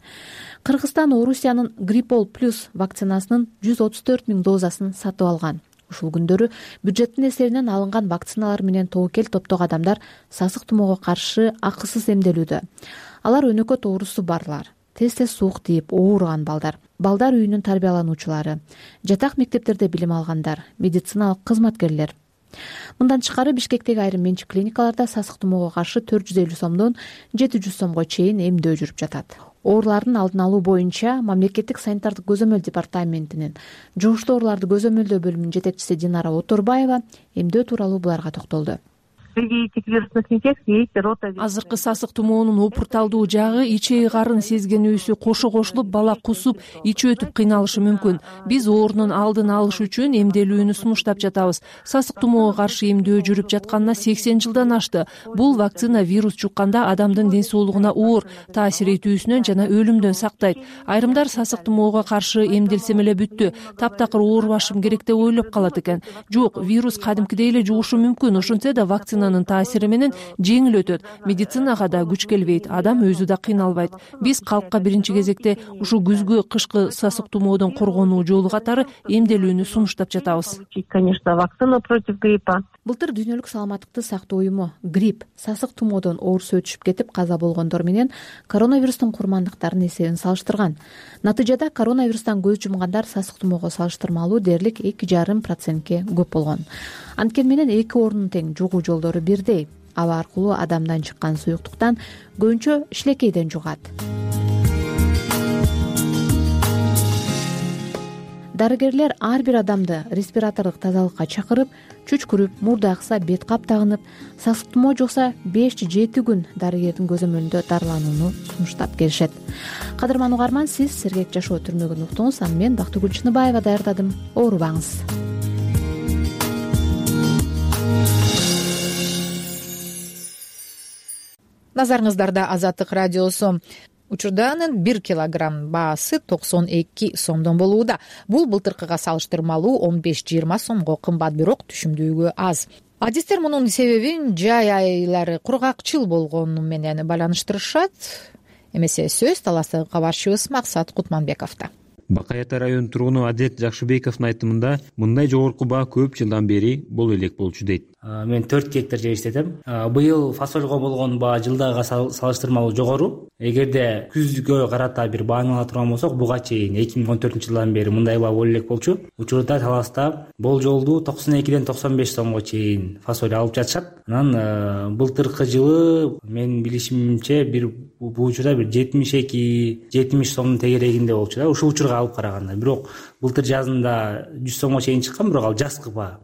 Кыргызстан Орусиянын Гриппол плюс вакцинасынын жүз отуз төрт миң дозасын сатып алган. Ушул күндөрү бюджеттин эсебинен алынган вакциналар менен тобокел топтогу адамдар сасык тумоого каршы акысыз эмделүүдө. Алар өнөкөт оорусу барлар, тез-тез суук тийип ооруган балдар, балдар үйүнүн тарбиялануучулары, жатак мектептерде билим алгандар, медициналык кызматкерлер. Мындан тышкары Бишкектеги айрым менчик клиникаларда сасык тумоого каршы төрт жүз элүү сомдон жети жүз сомго чейин эмдөө жүрүп жатат. Оорулардын алдын алуу боюнча мамлекеттик санитардык көзөмөл департаментинин жугуштуу ооруларды көзөмөлдөө бөлүмүнүн жетекчиси Динара Оторбаева эмдөө тууралуу буларга токтолду. Азыркы сасык тумоонун опурталдуу жагы ичеги карын сезгенүүсү кошо кошулуп бала кусуп, ичи өтүп кыйналышы мүмкүн. Биз оорунун алдын алыш үчүн эмделүүнү сунуштап жатабыз. Сасык тумоого каршы эмдөө жүрүп жатканына сексен жылдан ашты. Бул вакцина вирус жукканда адамдын ден соолугуна оор таасир этүүсүнөн жана өлүмдөн сактайт. Айрымдар сасык тумоого каршы эмделсем эле бүттү, таптакыр оорубашым керек деп ойлоп калат экен. Жок, вирус кадимкидей эле жугушу мүмкүн. Ошентсе да вакцина таасири менен жеңил өтөт. Медицинага да күч келбейт, адам өзү да кыйналбайт. Биз калкка биринчи кезекте ушу күзгү кышкы сасык тумоодон коргонуу жолу катары эмделүүнү сунуштап жатабыз. Конечно, вакцина против гриппа. Былтыр дүйнөлүк саламаттыкты сактоо уюму грипп, сасык тумоодон оорусу өтүшүп кетип каза болгондор менен коронавирустун курмандыктарын эсебин салыштырган. Натыйжада коронавирустан көз жумгандар сасык тумоого салыштырмалуу дээрлик эки жарым процентке көп болгон. Анткени менен эки оорунун тең жугуу жолдору бирдей. Аба аркылуу адамдан чыккан суюктуктан көбүнчө шилекейден жугат. Дарыгерлер ар бир адамды респиратордук тазалыкка чакырып, чүчкүрүп, мурда акса бет кап тагынып, сасык тумоо жукса беш жети күн дарыгердин көзөмөлүндө дарыланууну сунуштап келишет. Кадырман угарман, сиз сергек жашоо түрмөгүн уктуңуз, а мен Бактыгүл Чыныбаева даярдадым. Оорубаңыз. Назарыңыздарда Азаттык радиосу. Учурданын бир килограмм баасы токсон эки сомдон болууда. Бул былтыркыга салыштырмалуу он беш жыйырма сомго кымбат, бирок түшүмдүүлүгү аз. адистер мунун себебин жай айлары кургакчыл болгону менен байланыштырышат. Эмесе сөз таластагы кабарчыбыз Максат Кутманбековдо. Бакай Ата районунун тургуну Адет Жакшыбековдун айтымында мындай жогорку баа көп жылдан бери боло элек болчу дейт. Мен төрт гектар жер иштетем. Быйыл фасольго болгон баа жылдагыга салыштырмалуу жогору. Эгерде күзгө карата бир бааны ала турган болсок, буга чейин эки миң он төртүнчү жылдан бери мындай баа боло элек болчу. Учурда таласта болжолду токсон экиден токсон беш сомго чейин фасоль алып жатышат. Анан былтыркы жылы менин билишимче бир бул учурда бир жетимиш эки жетимиш сомдун тегерегинде болчу да, ушул учурга алып караганда. Бирок былтыр жазында жүз сомго чейин чыккан, бирок ал жазкы баа.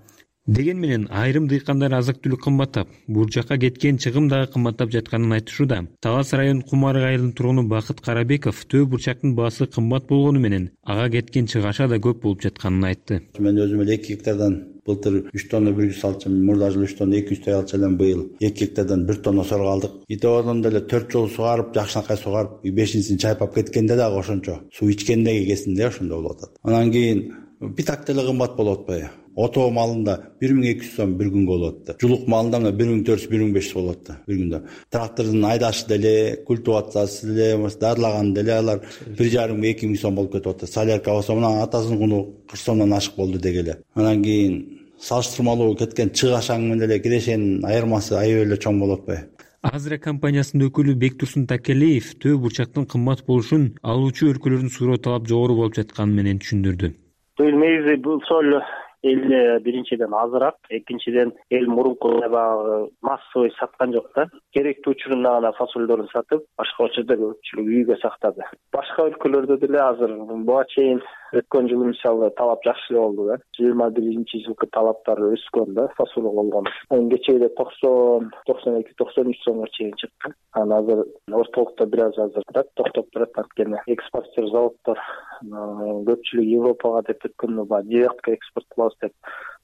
Деген менен айрым дыйкандар азык-түлүк кымбаттап, бул жакка кеткен чыгым дагы кымбаттап жатканын айтышууда. Талас районунун Кумарык айылынын тургуну Бакыт Карабеков төө бурчактын баасы кымбат болгону менен ага кеткен чыгаша да көп болуп жатканын айтты. Мен өзүм эле эки гектардан былтыр үч тонна бир жүз алчым, мурда жылы үч тонна эки жүздөй алчам, быйыл эки гектардан бир тонна сорго алдык. Итебодон деле төрт жол сугарып, жакшынакай сугарып, бешинчисин чайпап кеткенде дагы ошончо суу ичкендеги кезинде ошондо болуп атат. Анан кийин питак деле кымбат болуп атпайбы? Ото малында бир миң эки жүз сом бир күнгө болот да. Жулук малында мына бир миң төрт жүз, бир миң беш жүз болот да бир күндө. Трактордун айдашы деле, культивациясы деле, дарлаганы деле алар бир жарым миң эки миң сом болуп кетип атат. Солярка болсо мына атасынын куну кырк сомдон ашык болду дегеле. Анан кийин салыштырмалуу кеткен чыгашаң менен эле кирешенин айырмасы аябай эле чоң болуп атпайбы? Азра компаниясынын өкүлү Бектурсун Такелеев төө бурчактын кымбат болушун алуучу өлкөлөрдүн суроо талап жогору болуп жатканы менен түшүндүрдү. Негизи бул соль эл биринчиден азыраак, экинчиден эл мурункудай баягы массовый саткан жок да. Керектүү учурунда гана фасольдорун сатып, башка учурда көпчүлүк үйгө сактады. Башка өлкөлөрдө деле азыр буга чейин өткөн жылы мисалы талап жакшы болду да. жыйырма биринчи жылкы талаптар өскөн да, фасолго болгон. Кечээде токсон, токсон эки, токсон үч сомго чейин чыккан. Анан азыр ортолукта бир аз азырыраак токтоп турат, анткени экспортер заводдор көпчүлүк Европага деп өткөндө баягы директка экспорт кылабыз деп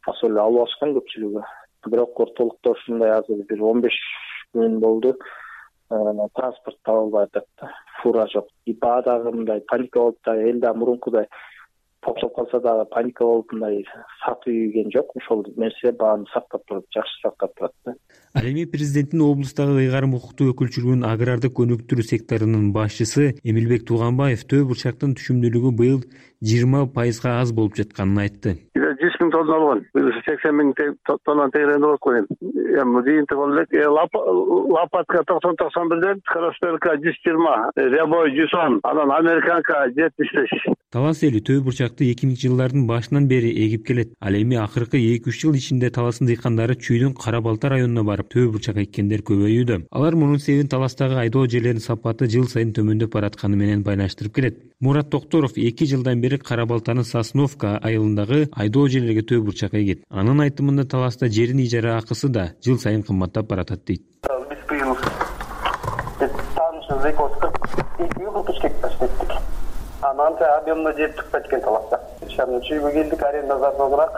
фасоль алып алышкан көпчүлүгү. Бирок ортолукта ушундай азыр бир он беш күн болду. Транспорт табылбай атат да, фура жок. И баа дагы мындай паника болуп да, эл да мурункудай токтоп калса дагы паника болуп мындай сатып ийген жок. Ошол нерсе бааны сактап туруп, жакшы сактап турат да. Ал эми президенттин облустагы ыйгарым укуктуу өкүлчүлүгүнүн агрардык өнүктүрүү секторунун башчысы Эмилбек Тууганбаев төө бурчактын түшүмдүүлүгү быйыл жыйырма пайызга аз болуп жатканын айтты. жүз миң тонна алган. Быйыл сексен миң тонна тегеренде болуп койгон. Эми жыйынтык болуп элек. Лопатка токсон токсон бирден, Кросперка жүз жыйырма, Рябой жүз он, анан Американка жетимиш беш. Талас эли төө бурчакты эки миңинчи жылдардын башынан бери эгип келет. Ал эми акыркы эки үч жыл ичинде Таластын дыйкандары Чүйдүн Кара Балта районуна барып төө бурчак эккендер көбөйүүдө. Алар мунун себебин Таластагы айдоо жерлеринин сапаты жыл сайын төмөндөп баратканы менен байланыштырып келет. Мурат Токторов эки жылдан бери Кара Балтанын Сосновка айылындагы айдоо жерлерге төө бурчак эгет. Анын айтымында Таласта жерин ижара акысы да жыл сайын кымбаттап баратат дейт. Биз быйыл таанышыбыз эки жүз кырк эки кырк үч гектар иштеттик. Анан объемно жер чыкпайт экен Таласта. Шаарына чүйгө келдик, аренда зарданыраак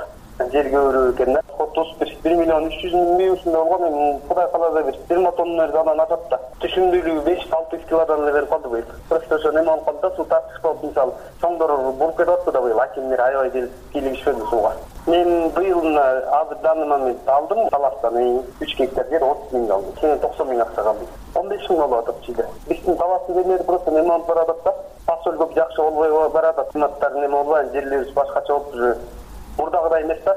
жер көбүрөөк экен да. Отуз бир миллион үч жүз миң ушундай болгон. Эми Кудай кааласа бир жыйырма тонна анан атат да. Түшүмдүүлүгү беш алты жүз килодан эле берип калды быйыл. Просто ошо неме болуп калды да, суу тартыш болуп, мисалы чоңдор буруп кетип атты да быйыл. Акимдер аябай кийлигишпеди сууга. Мен быйыл азыр данный момент алдым Таластан үч гектар жер отуз миң алдым. Кийин токсон миң акча калды. он беш миң болуп атат чийде. Биздин Таластын жерлери просто неме болуп баратат да. Фасоль көп жакшы болбой баратат. Кымбаттар неме болбой, жерлерибиз башкача болуп уже мурдагыдай эмес да.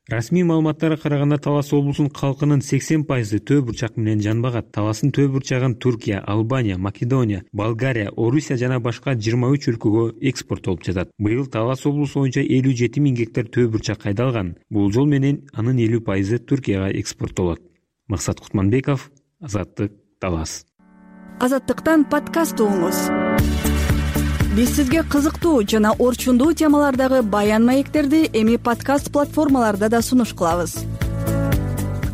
Расмий маалыматтарга караганда Талас облусунун калкынын сексен пайызы төө бурчак менен жанбагат. Таластын төө бурчагын Туркия, Албания, Македония, Болгария, Орусия жана башка жыйырма үч өлкөгө экспорттолуп жатат. Быйыл Талас облусу боюнча элүү жети миң гектар төө бурчак айдалган. Бул жол менен анын элүү пайызы Туркияга экспорттолот. Максат Кутманбеков, Азаттык, Талас. Азаттыктан подкаст угуңуз. Биз сизге кызыктуу жана орчундуу темалардагы баян маектерди эми подкаст платформаларда да сунуш кылабыз.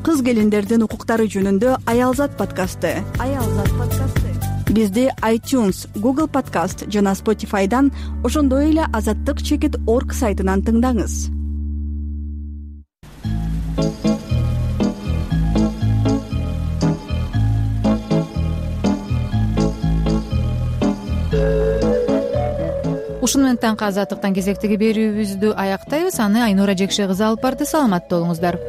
Кыз келиндердин укуктары жөнүндө Аялзат подкасты. Аялзат подкасты. Бизди iTunes, Google Podcast жана Spotify'дан, ошондой эле азаттык чекит точка орг сайтынан тыңдаңыз. Ушуну менен таңкы азаттыктан кезектеги берүүбүздү аяктайбыз. Аны Айнура Жекше кызы алып барды. Саламатта болуңуздар.